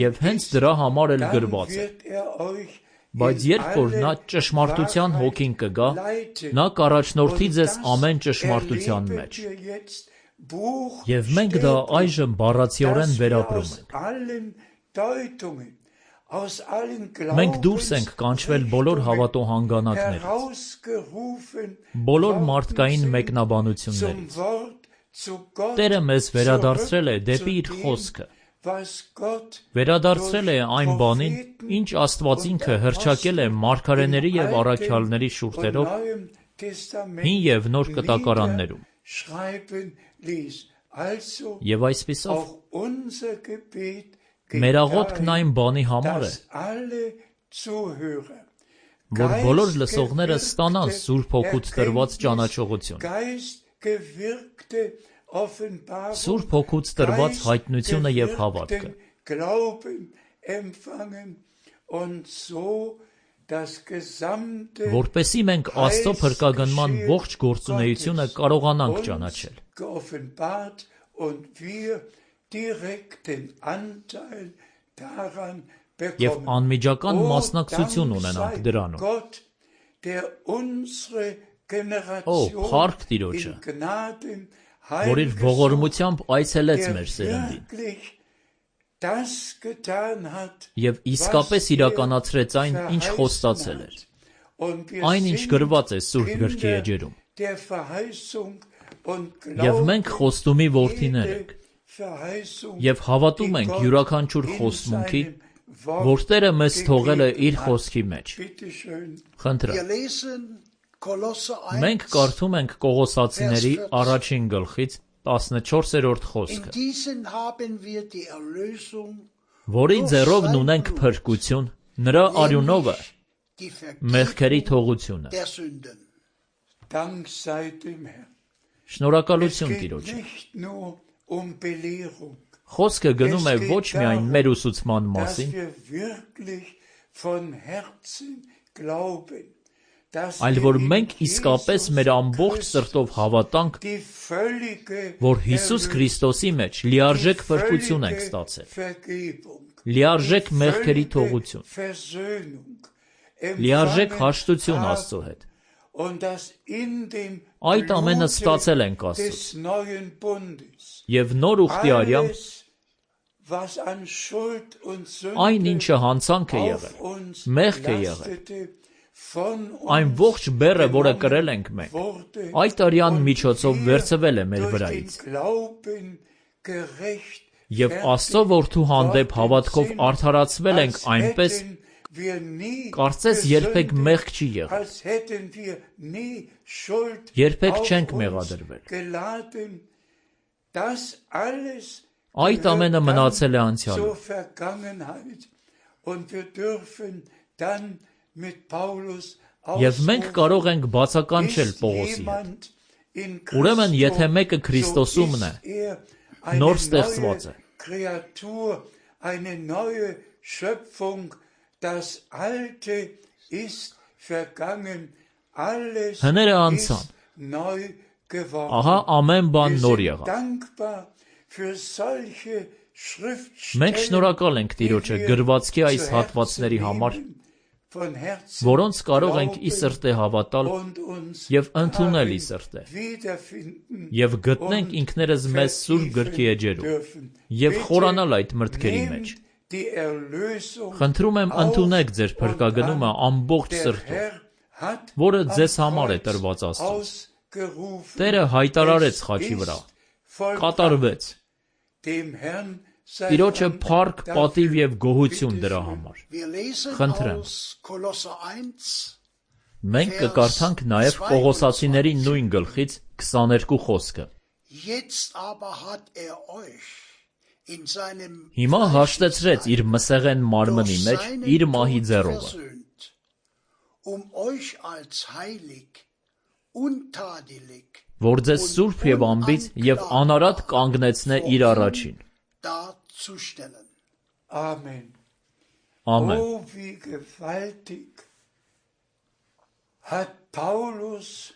Եվ հենց դրա համար էլ գրված է. բայց երբ որ նա ճշմարտության հոգին կգա, նա կառաջնորդի ձեզ ամեն ճշմարտության մեջ։ Եվ մենք դա այժմ բառացիորեն վերապրում ենք։ Մենք դուրս ենք կանչվել բոլոր հավատո հանգանակներից, բոլոր մարդկային մեկնաբանություններից։ Տերը մեզ վերադարձրել է դեպի իր խոսքը, վերադարձրել է այն բանին, ինչ Աստված ինքը հռչակել է մարգարեների և առաքյալների շուրթերով հին և նոր կտակարաններում, schreiben ließ. Also Եվ այսպիսով auch unser Gebet մեր աղոթքն այն բանի համար է, dass alle Zuhörer որ բոլոր լսողները ստանան Սուրբ Հոգուց տրված ճանաչողություն, geistgewirkte Offenbarung, Սուրբ Հոգուց տրված հայտնությունը եւ հավատքը, Glauben empfangen und so das gesamte որպեսզի մենք Աստծո փրկագնման ողջ գործունեությունը կարողանանք ճանաչել, geoffenbart und wir direkten Anteil daran եւ bekommen. անմիջական մասնակցություն ունենանք դրանում։ Gott, der unsere Ո, Generation փառք Տիրոջը, in Gnaden որ իր ողորմությամբ այցելեց մեր սերնդին wirklich das getan hat, եւ իսկապես իրականացրեց այն, ինչ խոստացել էր, und wir այն, ինչ sind գրված է Սուրբ գրքի Kinder էջերում։ der Verheißung und Եվ մենք glauben խոստումի որդիներ ենք, jede Verheißung, եւ հավատում die ենք Gott յուրաքանչյուր in խոստմունքի, seinem Wort որ Տերը մեզ թողել է իր gegeben hat. խոսքի մեջ։ Bitte schön. Խնդրեմ, Wir lesen Kolosse մենք eins. կարդում ենք Կողոսացիների առաջին գլխից տասնչորսերորդ In խոսքը, diesen haben wir die Erlösung, որի ձեռով ունենք փրկություն, նրա արյունովը die մեղքերի Vergebung թողությունը։ der Sünden. Dank sei dem Herrn. Es Շնորհակալություն geht Տիրոջը։ nicht nur um Belehrung, Խոսքը գնում է ոչ միայն մեր ուսուցման dass մասին, wir wirklich von Herzen glauben, dass այլ wir որ in մենք իսկապես Jesus մեր ամբողջ Christus սրտով հավատանք, die völlige որ Հիսուս Erlösung, Քրիստոսի մեջ die լիարժեք փրկություն ենք völlige ստացել, Vergebung, լիարժեք die մեղքերի völlige թողություն, Versöhnung լիարժեք empfangen հաշտություն haben Աստծո հետ։ und dass in dem Այդ ամենը ստացել ենք Blute Աստծուց, des neuen Bundes եւ նոր ուխտի արյամբ alles, was an Schuld und այն Sünde ինչը հանցանք է auf եղել, uns մեղք է եղել, lastete, von այն uns ողջ բեռը, որը genommen կրել ենք մենք, wurde այդ արյան und միջոցով wir վերցվել է մեր durch den վրայից, Glauben gerecht եւ Աստծո որդու հանդեպ հավատքով արդարացվել ենք այնպես, կարծես երբեք մեղք չի եղել, երբեք չենք մեղադրվել։ Այդ ամենը մնացել է անցյալում։ Եվ մենք կարող ենք բացականչել Պողոսի հետ։ Ուրեմն, եթե մեկը Քրիստոսումն է, նոր ստեղծված է։ Eine neue Schöpfung, das Alte ist vergangen, alles Հները անցան, ist neu geworden. ահա ամեն բան Wir նոր sind եղավ։ dankbar für solche Մենք Schriftstellen, շնորհակալ ենք Տիրոջը die wir գրվածքի այս zu հատվածների Herzen համար, nehmen, von Herzen որոնց կարող ենք ի glauben սրտե հավատալ und uns եւ ընդունել ի darin սրտե, wiederfinden եւ գտնենք und ինքներս մեզ Սուրբ գրքի vertiefen էջերում dürfen. եւ Bitte խորանալ այդ մրգերի մեջ։ nehmt die Erlösung Խնդրում եմ auf ընդունեք ձեր und փրկագնումը an. ամբողջ Der սրտով, Herr hat որը am ձեզ համար է Kreuz տրված Աստծուց։ ausgerufen. Տերը հայտարարեց Es խաչի վրա, ist vollbracht. կատարվեց։ Dem Herrn sei Տիրոջը Dank փառք, dafür. պատիվ եւ գոհություն Bitte դրա schön. համար։ Wir lesen Խնդրեմ։ aus Kolosse eins, Մենք կկարդանք նաեւ Պողոսացիների նույն գլխից քսաներկու խոսքը։ Jetzt aber hat er euch in seinem Հիմա հաշտեցրեց իր մսեղեն մարմնի durch մեջ seinen իր մահի Tod ձեռովը, versöhnt, um euch als heilig, untadelig որ ձեզ սուրբ եւ անբիծ եւ անարատ կանգնեցնե իր առաջին։ darzustellen. Amen. Ամեն։ Oh, wie gewaltig hat Paulus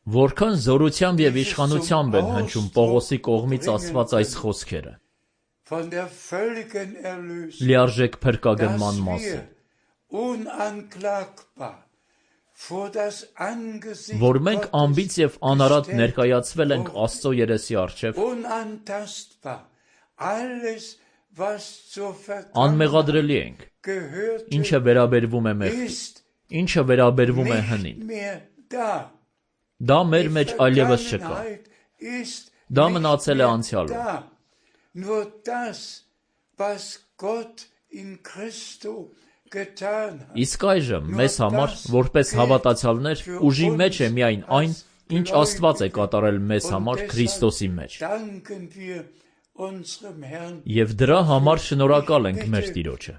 Որքան զորությամբ եւ իշխանությամբ են հնչում Պողոսի կողմից ասված այս խոսքերը, von der völligen Erlösung, լիարժեք dass փրկագնման wir մասին, unanklagbar vor das Angesicht որ մենք Gottes անբիծ եւ անարատ gestellt ներկայացվել ենք wurden. Աստծո երեսի առջև, Unantastbar. Alles, was zur Vergangenheit անմեղադրելի ենք, gehörte, ինչը վերաբերվում է մեղքին, ist ինչը վերաբերվում է nicht հնին։ mehr da. Դա մեր Die մեջ այլևս չկա։ Vergangenheit ist Դա nicht մնացել է mehr անցյալում։ da. Nur das, was Gott in Christo getan hat, Իսկ այժմ մեզ համար, որպես հավատացյալներ, ուժի մեջ է միայն այն, ինչ Աստված է կատարել մեզ համար Քրիստոսի մեջ։ Եվ դրա համար շնորհակալ ենք մեր Տիրոջը։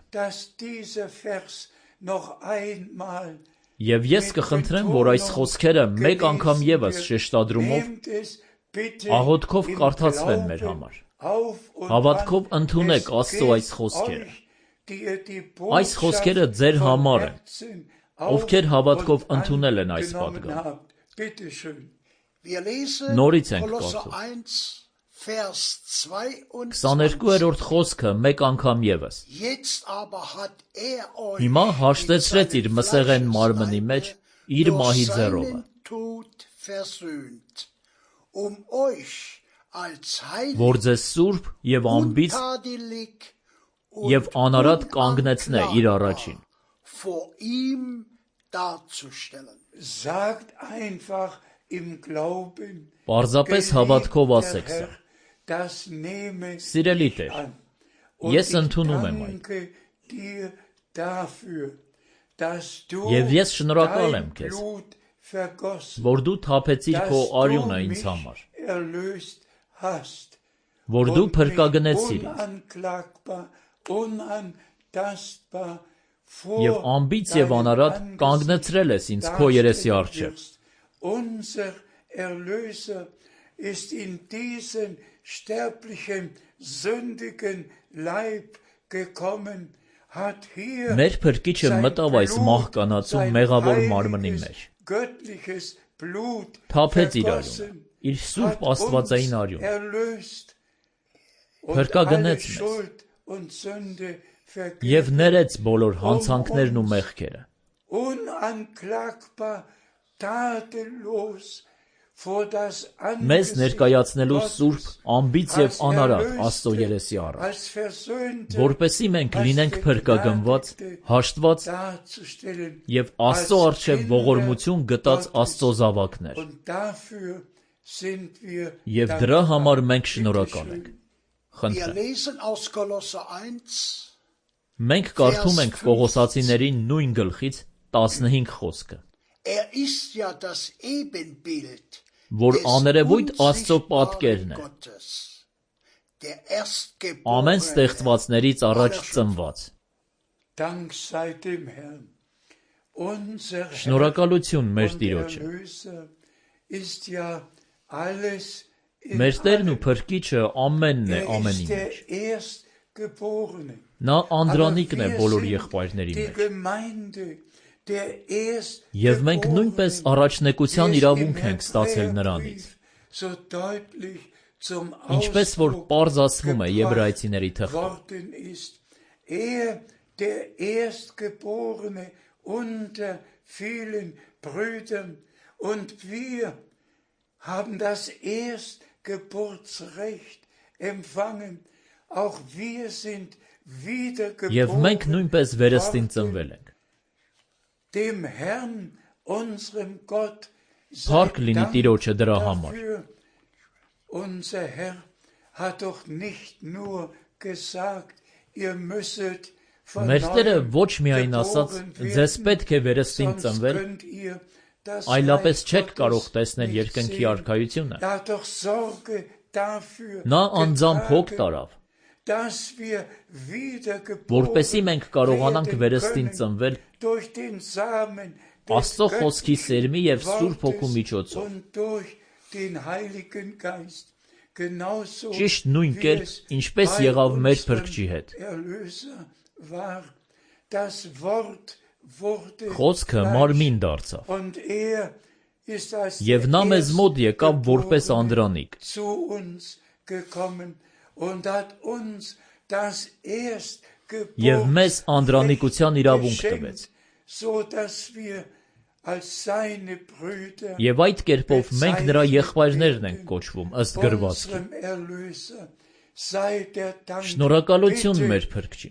Եվ ես կխնդրեմ, որ այս խոսքերը մեկ անգամ ևս շեշտադրումով աղոթքով կարդացվեն մեր համար։ Հավատքով ընդունեք Աստծո այս խոսքերը։ Այս խոսքերը ձեր համար են, ովքեր հավատքով ընդունել են այս պատգամը։ Նորից ենք կարդում։ քսաներկուերորդ խոսքը մեկ անգամ ևս։ Հիմա հաշտեցրեց իր մսեղեն մարմնի մեջ իր մահի ձեռովը, որ ձեզ սուրբ և անբիծ և անարատ կանգնեցնե իր առաջին։ Պարզապես հավատքով ասեք սա։ Սիրելի Տեր, ես ընդունում եմ այդ։ Եվ ես շնորհակալ եմ քեզ, որ դու թափեցիր քո արյունը ինձ համար, որ դու փրկագնեցիր ինձ, և անբիծ և անարատ կանգնեցրել ես ինձ քո երեսի առջև։ Ist in diesen sterblichen, sündigen Leib gekommen, hat hier Մեր փրկիչը մտավ այս մահկանացու մեղավոր մարմնի մեջ, թափեց իր արյունը, իր սուրբ աստվածային արյունը, փրկագնեց մեզ և ներեց բոլոր հանցանքներն ու մեղքերը։ Մեզ ներկայացնելու սուրբ, անբիծ և անարատ Աստծո երեսի առաջ, որպեսզի մենք լինենք փրկագնված, հաշտված և Աստծո առջև ողորմություն գտած Աստծո զավակներ։ Եվ դրա համար մենք շնորհակալ ենք։ Խնդրեմ։ Մենք կարդում ենք Կողոսացիների նույն գլխից տասնհինգ խոսքը, որ աներևույթ Աստծո պատկերն է, ամեն ստեղծվածներից առաջ ծնված։ Շնորհակալություն մեր Տիրոջը։ Մեր Տերն ու Փրկիչը ամենն է ամենի մեջ։ Նա անդրանիկն է բոլոր եղբայրների մեջ։ Եվ մենք նույնպես առաջնեկության իրավունք ենք ստացել նրանից, ինչպես որ պարզ ասվում է Եբրայեցիների թղթում։ Եվ մենք նույնպես վերստին ծնվել ենք։ Փառք լինի Տիրոջը դրա համար։ Մեր Տերը ոչ միայն ասաց, ձեզ պետք է վերստին ծնվել, այլապես չեք կարող տեսնել երկնքի արքայությունը։ Նա անձամբ հոգ տարավ, որպեսզի մենք կարողանանք վերստին ծնվել Աստծո խոսքի սերմի և Սուրբ Հոգու միջոցով։ Ճիշտ նույն կերպ, ինչպես եղավ մեր Փրկչի հետ։ Խոսքը մարմին դարձավ, և նա մեզ մոտ եկավ որպես անդրանիկ։ Եվ մեզ անդրանիկության իրավունք տվեց։ Եվ այդ կերպով մենք նրա եղբայրներն ենք կոչվում ըստ գրվածքի։ Շնորհակալություն մեր Փրկչին։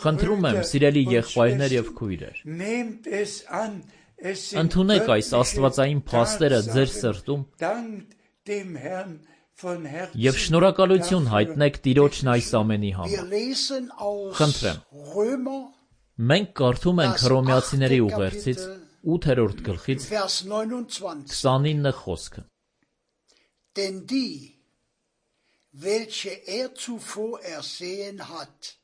Խնդրում եմ, սիրելի եղբայրներ և քույրեր, ընդունեք այս աստվածային փաստերը ձեր սրտում և շնորհակալություն հայտնեք Տիրոջն այս ամենի համար։ Խնդրեմ։ Մենք կարդում ենք Հռոմեացիների ուղերձից ութերորդ գլխից Vers neunundzwanzig. քսանինը խոսքը. Denn die, welche er zuvor ersehen hat,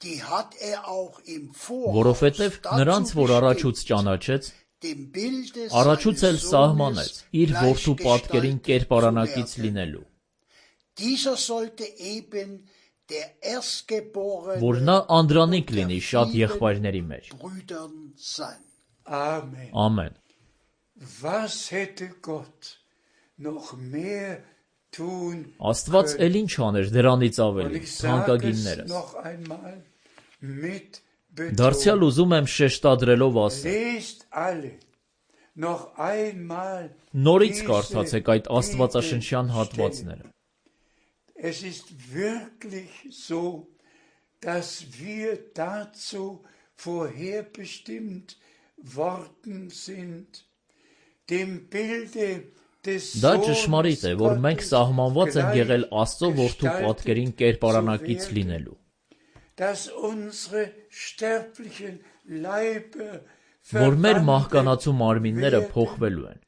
die hat er auch im Voraus Որովհետև նրանց, որ առաջուց ճանաչեց, dem Bilde առաջուց էլ seines սահմանեց Sohnes իր որդու պատկերին gleichgestaltet կերպարանակից zu werden. լինելու, Dieser sollte eben der Erstgeborene որ նա անդրանիկ unter լինի շատ vielen եղբայրների մեջ։ Brüdern sein. Amen. Ամեն։ Was hätte Gott noch mehr tun Աստված können? էլ ինչ աներ դրանից Und ավելի, ich sage es թանկագիններս։ noch einmal mit Դարձյալ Betonung. ուզում եմ շեշտադրելով ասել, Lest alle noch einmal նորից diese կարդացեք այդ աստվածաշնչյան Bibelstellen. հատվածները։ Es ist wirklich so, dass wir dazu vorherbestimmt worden sind, dem Bilde des Դա Sohnes ճշմարիտ է, որ մենք Gottes սահմանված ենք եղել Աստծո որդու պատկերին կերպարանակից zu werden, լինելու, dass unsere sterblichen Leiber որ մեր verwandelt մահկանացու մարմինները werden, փոխվելու են,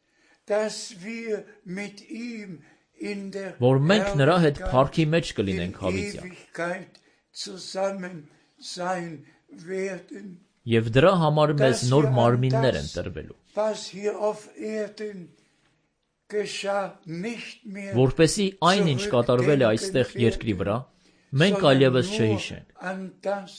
dass wir mit ihm in der որ մենք նրա հետ Herrlichkeit փառքի մեջ in կլինենք հավիտյան։ Ewigkeit zusammen sein werden. Եվ դրա համար մեզ Dass նոր wir an մարմիններ են das, տրվելու, was hier auf Erden geschah, nicht mehr որպեսզի այն, ինչ կատարվել է այստեղ երկրի վրա, մենք sondern այլևս nur չհիշենք, an das,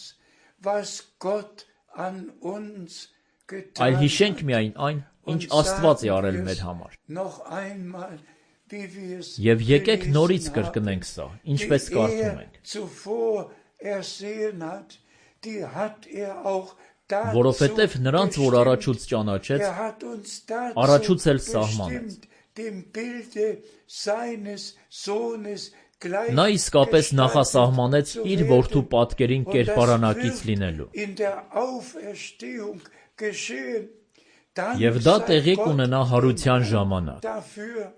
was Gott an uns getan այլ հիշենք hat. միայն այն, ինչ Und Աստված է sagen արել wir մեր es համար։ noch einmal, wie wir es Եվ եկեք gelesen նորից haben, կրկնենք սա, ինչպես die կարդում er ենք, zuvor ersehen hat, die hat er auch dazu որովհետև նրանց, որ bestimmt. առաջուց ճանաչեց, Er hat uns dazu առաջուց էլ սահմանեց։ bestimmt, dem Bilde seines Sohnes Նա իսկապես նախասահմանեց իր որդու պատկերին կերպարանակից լինելու, in der Auferstehung geschehen. Dann եւ դա sei տեղի Gott կունենա հարության ժամանակ։ dafür.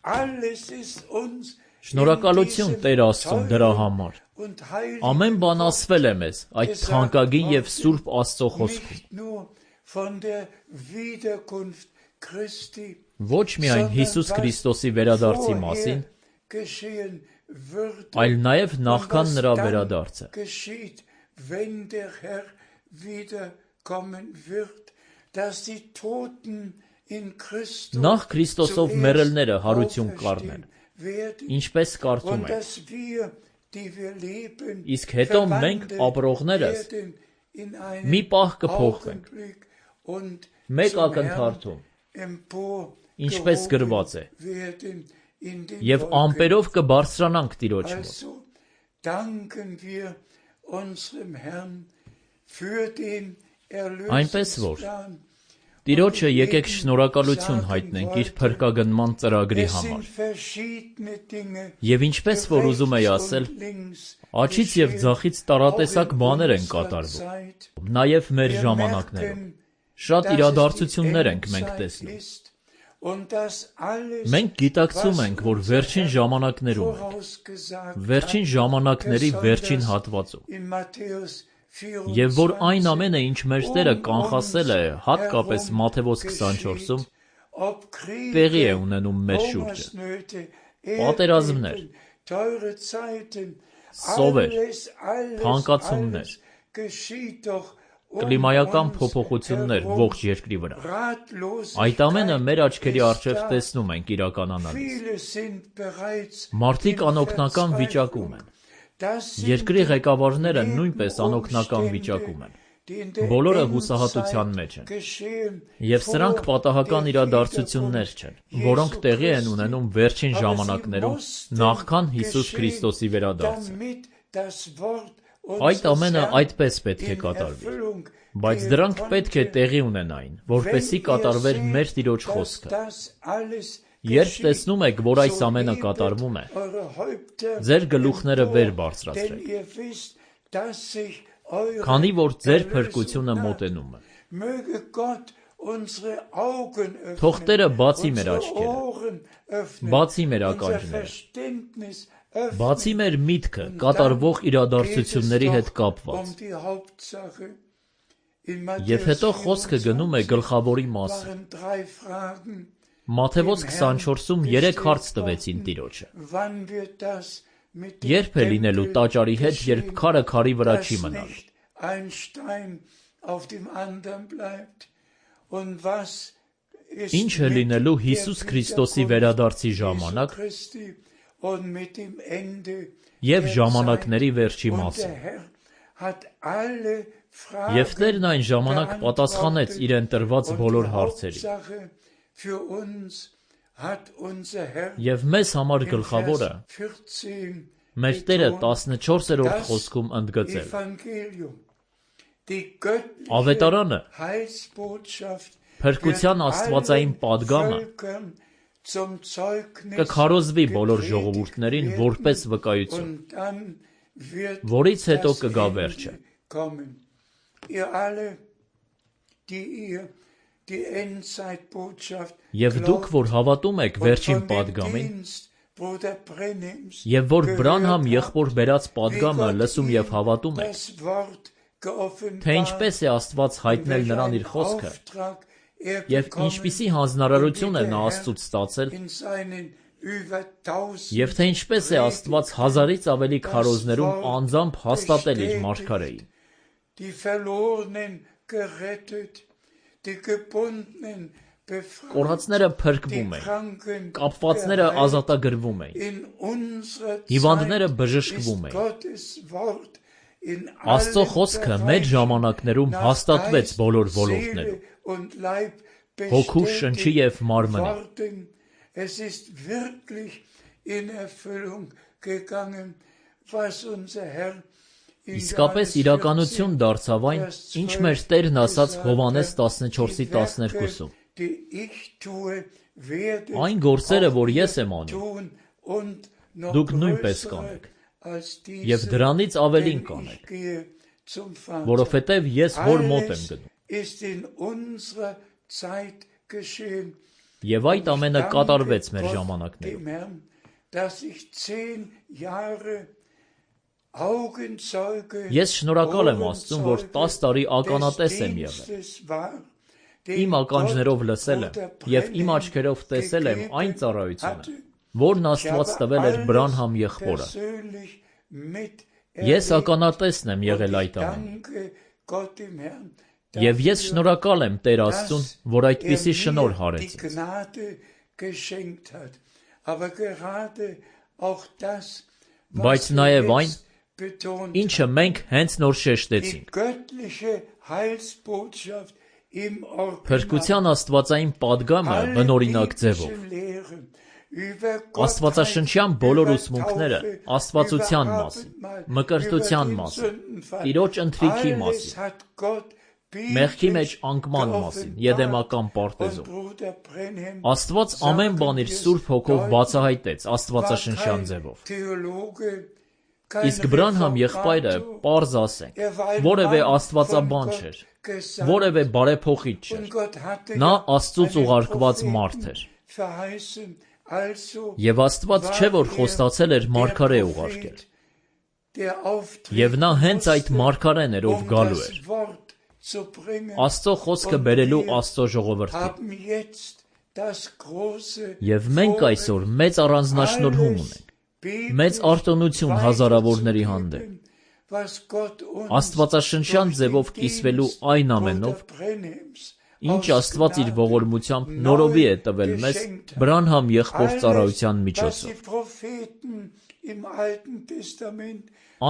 Alles ist uns Շնորհակալություն in Տեր diesem Աստծուն դրա teuren համար։ und heiligen Ամեն բան Wort ասվել է մեզ այդ թանկագին եւ սուրբ Աստծո խոսքում։ nicht nur von der Wiederkunft Christi, Ոչ միայն Հիսուս Քրիստոսի վերադարձի մասին, geschehen würde, այլ նաև und նախքան was նրա dann վերադարձը։ geschieht, wenn der Herr wiederkommen wird, dass die Toten in Christus Նախ Քրիստոսով zuerst մեռելները հարություն կառնեն, auferstehen werden, ինչպես կարդում und ենք, dass wir, die wir leben, իսկ հետո մենք verwandelt ապրողներս werden in մի einen պահ կփոխվենք, Augenblick und մեկ zum Herrn ակնթարթում, ինչպես emporgehoben գրված է, werden in den եւ Wolken. ամպերով կբարձրանանք Տիրոջ մոտ։ Also danken wir unserem Herrn für den Այնպես որ Erlösungsplan. Տիրոջը եկեք շնորհակալություն հայտնենք իր փրկագնման ծրագրի Es համար։ sind verschiedene Dinge, Եվ ինչպես որ ուզում էի rechts ասել, und links աչից եւ geschehen, ձախից auch տարատեսակ in բաներ են unserer կատարվում, Zeit. նաեւ մեր Wir ժամանակներում։ merken, Շատ dass es իրադարձություններ die ենք մենք Endzeit տեսնում։ ist und dass alles, Մենք գիտակցում was ենք, որ unser վերջին Herr ժամանակներում ենք, vorausgesagt վերջին hat, ժամանակների վերջին besonders հատվածում, in Matthäus եւ որ այն vierundzwanzig, ամենը, ինչ մեր Տերը um կանխասել է, uns հատկապես herum Մատթեոս geschieht, քսանչորսում, ob Kriege, տեղի է ունենում մեր շուրջը։ Hungersnöte, Պատերազմներ, Erdbeben, teure Zeiten, սովեր, alles, alles, թանկացումներ, alles geschieht doch um կլիմայական uns փոփոխություններ herum. ողջ երկրի վրա։ Ratlosigkeit Այդ ամենը մեր աչքերի ist առջև da. տեսնում ենք իրականանալիս։ Viele sind bereits Մարդիկ in անօգնական վիճակում են։ Das sind Երկրի die ղեկավարները նույնպես անօգնական Nebenumstände, վիճակում են։ die in der Բոլորը Endzeit հուսահատության մեջ են։ geschehen, Եվ սրանք vor պատահական der իրադարձություններ չեն, Wiederkunft որոնք Jesu տեղի են Christi. ունենում վերջին Aber sie ժամանակներում, mussten նախքան Հիսուս geschehen, Քրիստոսի վերադարձը։ damit das Wort Այդ unseres ամենը Herrn այդպես պետք է in կատարվի։ Erfüllung Բայց gehen դրանք պետք է konnte. տեղի ունենային, որպեսզի Wenn ihr կատարվեր seht, մեր Տիրոջ dass խոսքը։ das alles Երբ geschieht, տեսնում եք, որ այս so ամենը hebet կատարվում է, eure Häupter ձեր գլուխները վեր empor, բարձրացրեք, denn ihr wisst, dass sich eure քանի որ ձեր Erlösung փրկությունը naht. մոտենում է։ Möge Gott unsere Augen Թող Տերը öffnen, բացի մեր unsere աչքերը, Ohren öffnen, բացի մեր unser ականջները, Verständnis öffnen. բացի մեր միտքը Und կատարվող dann geht es իրադարձությունների հետ doch կապված։ um die Hauptsache. Եվ հետո խոսքը գնում է գլխավորի մասին։ Մատթեոս քսանչորսում երեք հարց տվեցին Տիրոջը։ Երբ է լինելու տաճարի հետ, երբ քարը քարի վրա չի մնալ։ Ինչ է լինելու Հիսուս Քրիստոսի վերադարձի ժամանակ և ժամանակների վերջի մասին։ Եվ Տերն այն ժամանակ պատասխանեց իրեն տրված բոլոր հարցերին։ Եվ մեզ համար գլխավորը մեր Տերը տասնչորսերորդ խոսքում ընդգծել։ Ավետարանը, փրկության աստվածային պատգամը կքարոզվի բոլոր ժողովուրդներին որպես վկայություն, որից հետո կգա վերջը։ Եվ դուք, որ հավատում եք վերջին պատգամին, և որ Բրանհամ եղբոր բերած պատգամը լսում և հավատում եք, թե ինչպես է Աստված հայտնել նրան իր խոսքը, և ինչպիսի հանձնարարություն է նա Աստծուց ստացել, և թե ինչպես է Աստված հազարից ավելի քարոզներում անձամբ հաստատել իր մարգարեին։ Կորածները փրկվում էին, կապվածները ազատագրվում էին, հիվանդները բժշկվում էին։ Աստծո խոսքը մեր ժամանակներում հաստատվեց բոլոր ոլորտներում, հոգու, շնչի և մարմնի։ Իսկապես իրականություն դարձավ այն, ինչ մեր Տերն ասաց Հովհաննես տասնչորսի տասներկուսում. «Այն գործերը, որ ես եմ անում, դուք նույնպես կանեք, և դրանից ավելին կանեք, որովհետև ես Հոր մոտ եմ գնում»։ Եվ այդ ամենը կատարվեց մեր ժամանակներում։ Ես շնորհակալ եմ Աստծուն, որ տաս տարի ականատես եմ եղել։ Իմ ականջներով լսել եմ և իմ աչքերով տեսել եմ այն ծառայությունը, որն Աստված տվել էր Բրանհամ եղբորը։ Ես ականատեսն եմ եղել այդ ամենի։ Եվ ես շնորհակալ եմ Տեր Աստծուն, որ այդպիսի շնորհ հարեց ինձ։ Բայց նաև այն, ինչը մենք հենց նոր շեշտեցինք։ Փրկության աստվածային պատգամը բնօրինակ ձևով։ Աստվածաշնչյան բոլոր ուսմունքները աստվածության մասին, մկրտության մասին, Տիրոջ ընթրիքի մասին, մեղքի մեջ անկման մասին, եդեմական պարտեզում։ Աստված ամեն բան իր Սուրբ Հոգով բացահայտեց աստվածաշնչյան ձևով։ Իսկ Բրանհամ եղբայրը, պարզ ասենք, որևէ աստվածաբան չէր, որևէ բարեփոխիչ չէր։ Նա Աստծուց ուղարկված մարդ էր։ Եվ Աստված չէ, որ խոստացել էր մարգարե ուղարկել։ Եվ նա հենց այդ մարգարեն էր, ով գալու էր։ Աստծո խոսքը բերելու Աստծո ժողովրդին։ Եվ մենք այսօր մեծ առանձնաշնորհում ունենք, մեծ արտոնություն հազարավորների հանդեպ, աստվածաշնչյան ձևով կիսվելու այն ամենով, ինչ Աստված իր ողորմությամբ նորովի է տվել մեզ Բրանհամ եղբոր ծառայության միջոցով։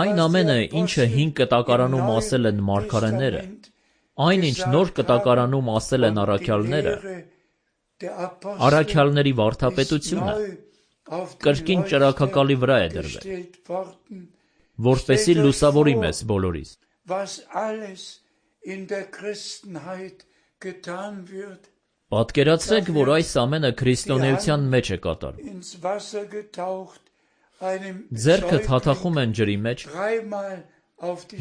Այն ամենը, ինչը հին կտակարանում ասել են մարգարեները, այն ինչ նոր կտակարանում ասել են առաքյալները, առաքյալների վարդապետությունը կրկին ճրագակալի վրա է դրվել, որպեսզի լուսավորի մեզ բոլորիս։ Պատկերացրեք, որ այս ամենը քրիստոնեության մեջ է կատարվում։ Ձեռքը թաթախում են ջրի մեջ,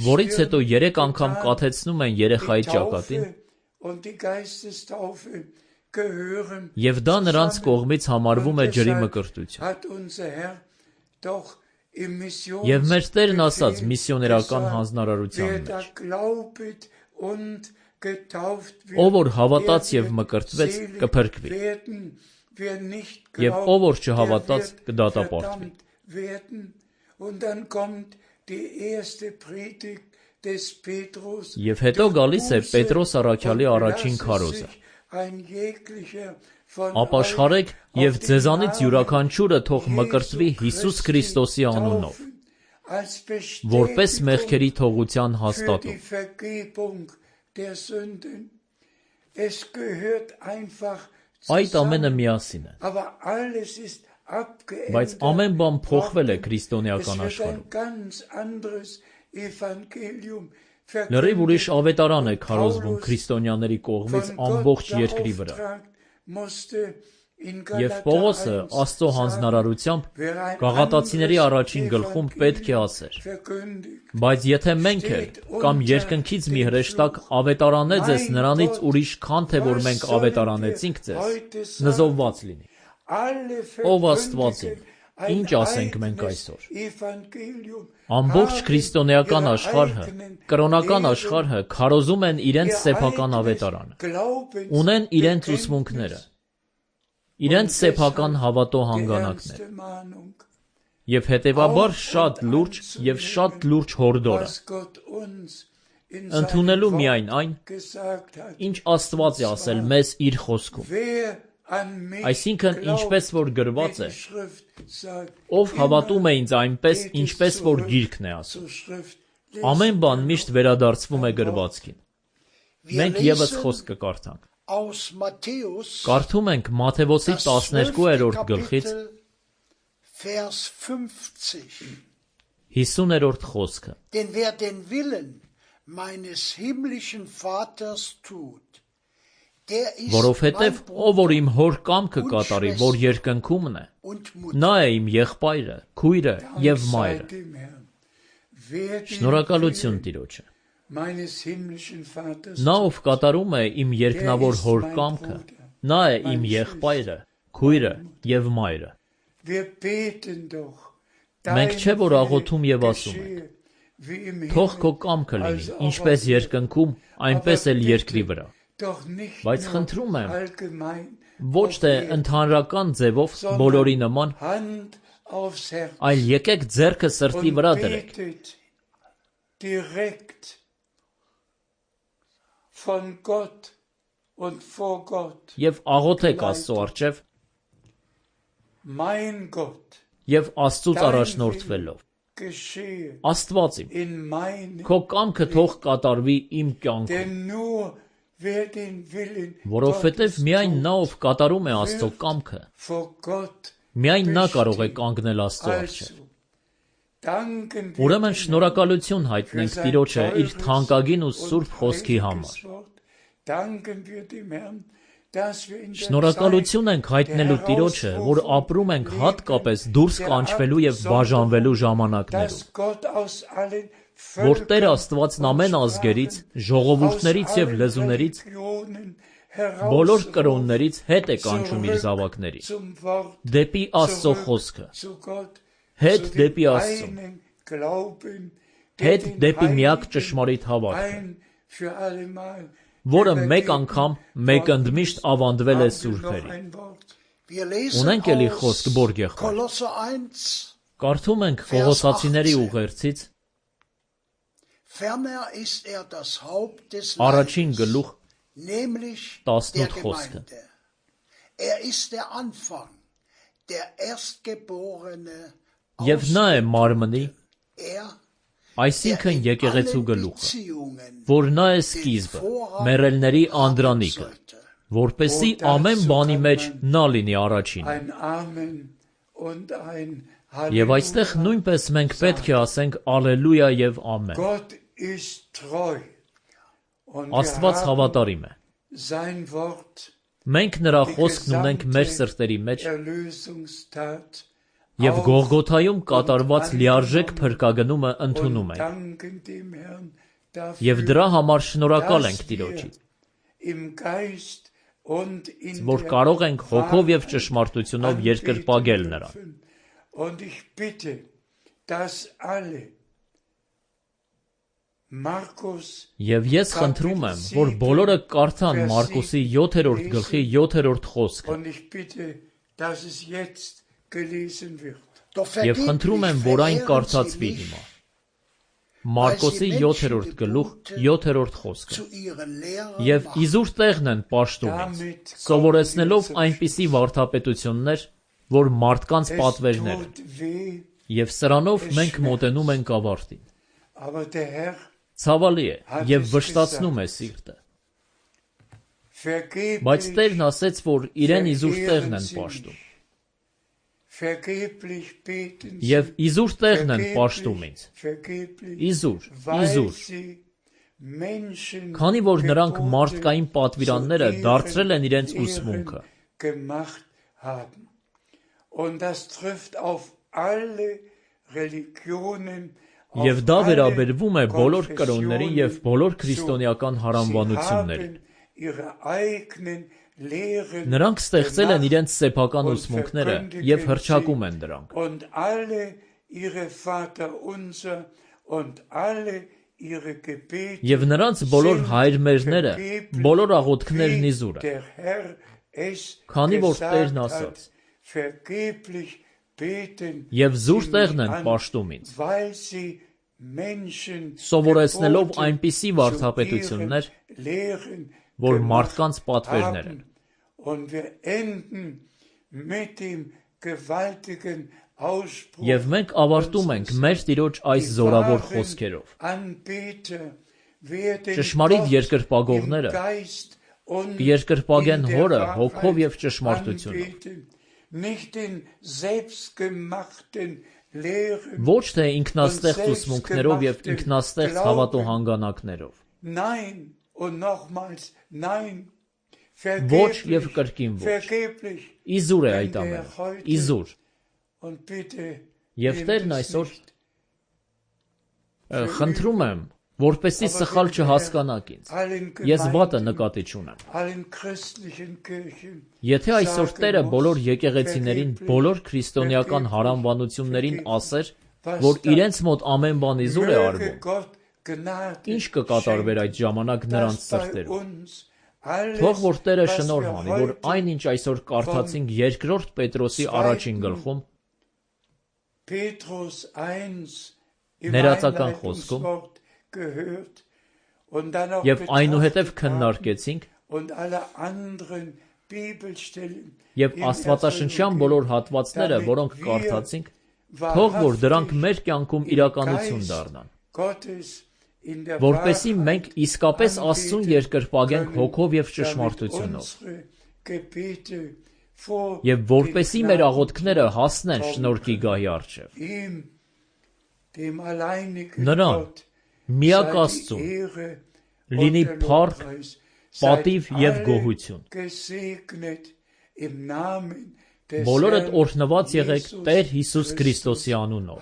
որից հետո երեք անգամ կաթեցնում են երեխայի ճակատին, և դա նրանց կողմից համարվում է ջրի մկրտություն։ Եվ մեր Տերն ասաց միսիոներական հանձնարարության մեջ. Ով որ հավատաց եւ մկրտվեց, կփրկվի, եւ ով որ չհավատաց, կդատապարտվի։ Եվ հետո գալիս է Պետրոս առաքյալի առաջին քարոզը. ապաշխարեք եւ ձեզանից յուրաքանչյուրը թող մկրտվի Հիսուս Քրիստոսի անունով, որպես մեղքերի թողության հաստատում։ Այդ ամենը միասին է, բայց ամեն բան փոխվել է քրիստոնեական աշխարհում։ Լրիվ ուրիշ ավետարան է քարոզվում քրիստոնյաների կողմից ամբողջ երկրի վրա։ Եվ Պողոսը Աստծո հանձնարարությամբ Գաղատացիների առաջին գլխում պետք է ասեր. բայց եթե մենք էլ կամ երկնքից մի հրեշտակ ավետարանեց նրանից ուրիշ քան թե որ մենք ավետարանեցինք ձեզ, նզովված լինի։ Ով Աստվածին, ինչ ասենք մենք այսօր։ Ամբողջ քրիստոնեական աշխարհը, կրոնական աշխարհը քարոզում են իրենց սեփական ավետարանը, ունեն իրենց ուսմունքները, իրենց սեփական հավատո հանգանակները, եւ հետեւաբար շատ լուրջ եւ շատ լուրջ հորդոր է, ընդունելու միայն այն, ինչ Աստված է ասել մեզ իր խոսքում։ Այսինքն, ինչպես որ գրված է, ով հավատում է ինձ այնպես, ինչպես որ գիրքն է ասում։ Ամեն բան միշտ վերադարձվում է գրվածքին։ Մենք ևս խոսք կկարդանք։ Կարդում ենք Մատթեոսի տասներկուերորդ գլխից հիսուներորդ խոսքը։ Denn wer den Willen meines himmlischen Vaters tut, Որովհետև ով որ իմ հոր կամքը կատարի, որ երկնքումն է, նա է իմ եղբայրը, քույրը եւ մայրը։ Շնորհակալություն Տիրոջը։ Նա ով կատարում է իմ երկնավոր հոր կամքը, նա է իմ եղբայրը, քույրը եւ մայրը։ Մենք չէ որ աղոթում եւ ասում ենք. Թող քո կամքը լինի, ինչպես երկնքում, այնպես էլ երկրի վրա։ Բայց խնդրում եմ, ոչ թե ընդհանրական ձևով բոլորի նման, այլ եկեք ձեռքը սրտի վրա դրեք։ Եվ աղոթեք Աստծո առջև եւ Աստծուց առաջնորդվելով. Աստված իմ, քո կամքը թող կատարվի իմ կյանքում։ Որովհետև միայն նա, ով կատարում է Աստծո կամքը, միայն նա կարող է կանգնել Աստծո առջև։ Ուրեմն շնորհակալություն հայտնենք Տիրոջը իր թանկագին ու սուրբ խոսքի համար։ Շնորհակալություն ենք հայտնելու Տիրոջը, որ ապրում ենք հատկապես դուրս կանչվելու եւ բաժանվելու ժամանակներում, որ Տեր Աստվածն ամեն ազգերից, ժողովուրդներից եւ լեզուներից, բոլոր կրոններից հետ է կանչում իր զավակներին, դեպի Աստծո խոսքը, հետ դեպի Աստծուն, հետ դեպի միակ ճշմարիտ հավատքը, որը մեկ անգամ մեկ ընդմիշտ ավանդվել է սուրբերին։ Ունենք էլի խոսք Բորգ եղբայր։ Կարդում ենք Կողոսացիների ուղերձից առաջին գլուխ տասնութ խոսքը։ Եվ նա է մարմնի, այսինքն եկեղեցու գլուխը, որ նա է սկիզբը, մեռելների անդրանիկը, որպեսզի ամեն բանի մեջ նա լինի առաջինը։ Եվ այստեղ նույնպես մենք պետք է ասենք Ալելույա եւ ամեն։ Աստված հավատարիմ է։ Մենք նրա խոսքն ունենք մեր սրտերի մեջ եւ Գողգոթայում կատարված լիարժեք փրկագնումը ընդունում ենք։ Եվ դրա համար շնորհակալ ենք Տիրոջից, որ կարող ենք հոգով եւ ճշմարտությունով երկրպագել նրան։ Եվ ես խնդրում եմ, որ բոլորը կարդան Մարկոսի յոթերորդ գլխի յոթերորդ խոսքը։ Եվ խնդրում եմ, որ այն կարդացվի հիմա։ Մարկոսի յոթերորդ գլուխ յոթերորդ խոսքը։ Եվ իզուր տեղն են պաշտում ինձ, սովորեցնելով այնպիսի վարդապետություններ, որ մարդկանց պատվերներ են։ Եվ սրանով մենք մոտենում ենք ավարտին։ Ցավալի է և վշտացնում է սիրտը։ Բայց Տերն ասեց, որ իրեն իզուր տեղն են պաշտում։ Եվ իզուր տեղն են պաշտում ինձ։ Իզուր, իզուր։ Քանի որ նրանք մարդկային պատվիրանները դարձրել են իրենց ուսմունքը։ Եվ դա վերաբերվում է բոլոր կրոնների և բոլոր քրիստոնեական հարանվանություններին։ Նրանք ստեղծել են իրենց սեփական ուսմունքները և հռչակում են դրանք։ Եվ նրանց բոլոր հայրմերները, բոլոր աղոթքներն իզուր են, քանի որ Տերն ասաց. «Եվ զուր տեղն են պաշտում ինձ», սովորեցնելով այնպիսի վարդապետություններ, որ մարդկանց պատվերներ են։ Եվ մենք ավարտում ենք մեր Տիրոջ այս զորավոր խոսքերով. ճշմարիտ երկրպագողները կերկրպագեն Հորը հոգով և ճշմարտությունով։ Ոչ թե ինքնաստեղծ ուսմունքներով և ինքնաստեղծ հավատոհանգանակներով։ Ոչ և կրկին ոչ։ Իզուր է այդ ամենը, իզուր։ Եվ Տերն այսօր խնդրում եմ, որպեսզի սխալ չհասկանաք ինձ, ես վատը նկատի չունեմ։ Եթե այսօր Տերը բոլոր եկեղեցիներին, բոլոր քրիստոնեական հարանվանություններին ասեր, որ իրենց մոտ ամեն բան իզուր է արվում, ինչ կկատարվեր այդ ժամանակ նրանց սրտերում։ Թող որ Տերը շնորհ անի, որ այն, ինչ այսօր կարդացինք երկրորդ Պետրոսի առաջին գլխում, ներածական խոսքում, և այնուհետև քննարկեցինք, և աստվածաշնչյան բոլոր հատվածները, որոնք կարդացինք, թող որ դրանք մեր կյանքում իրականություն դառնան, որպեսզի մենք իսկապես Աստծուն երկրպագենք հոգով և ճշմարտությունով, և որպեսզի մեր աղոթքները հասնեն շնորհքի գահի առջև։ Նրան, միակ Աստծուն, լինի փառք, պատիվ և գոհություն։ Բոլորդ օրհնված եղեք Տեր Հիսուս Քրիստոսի անունով։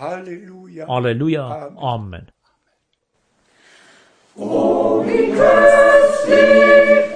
Ալելույա, ամեն։ O wie köstlich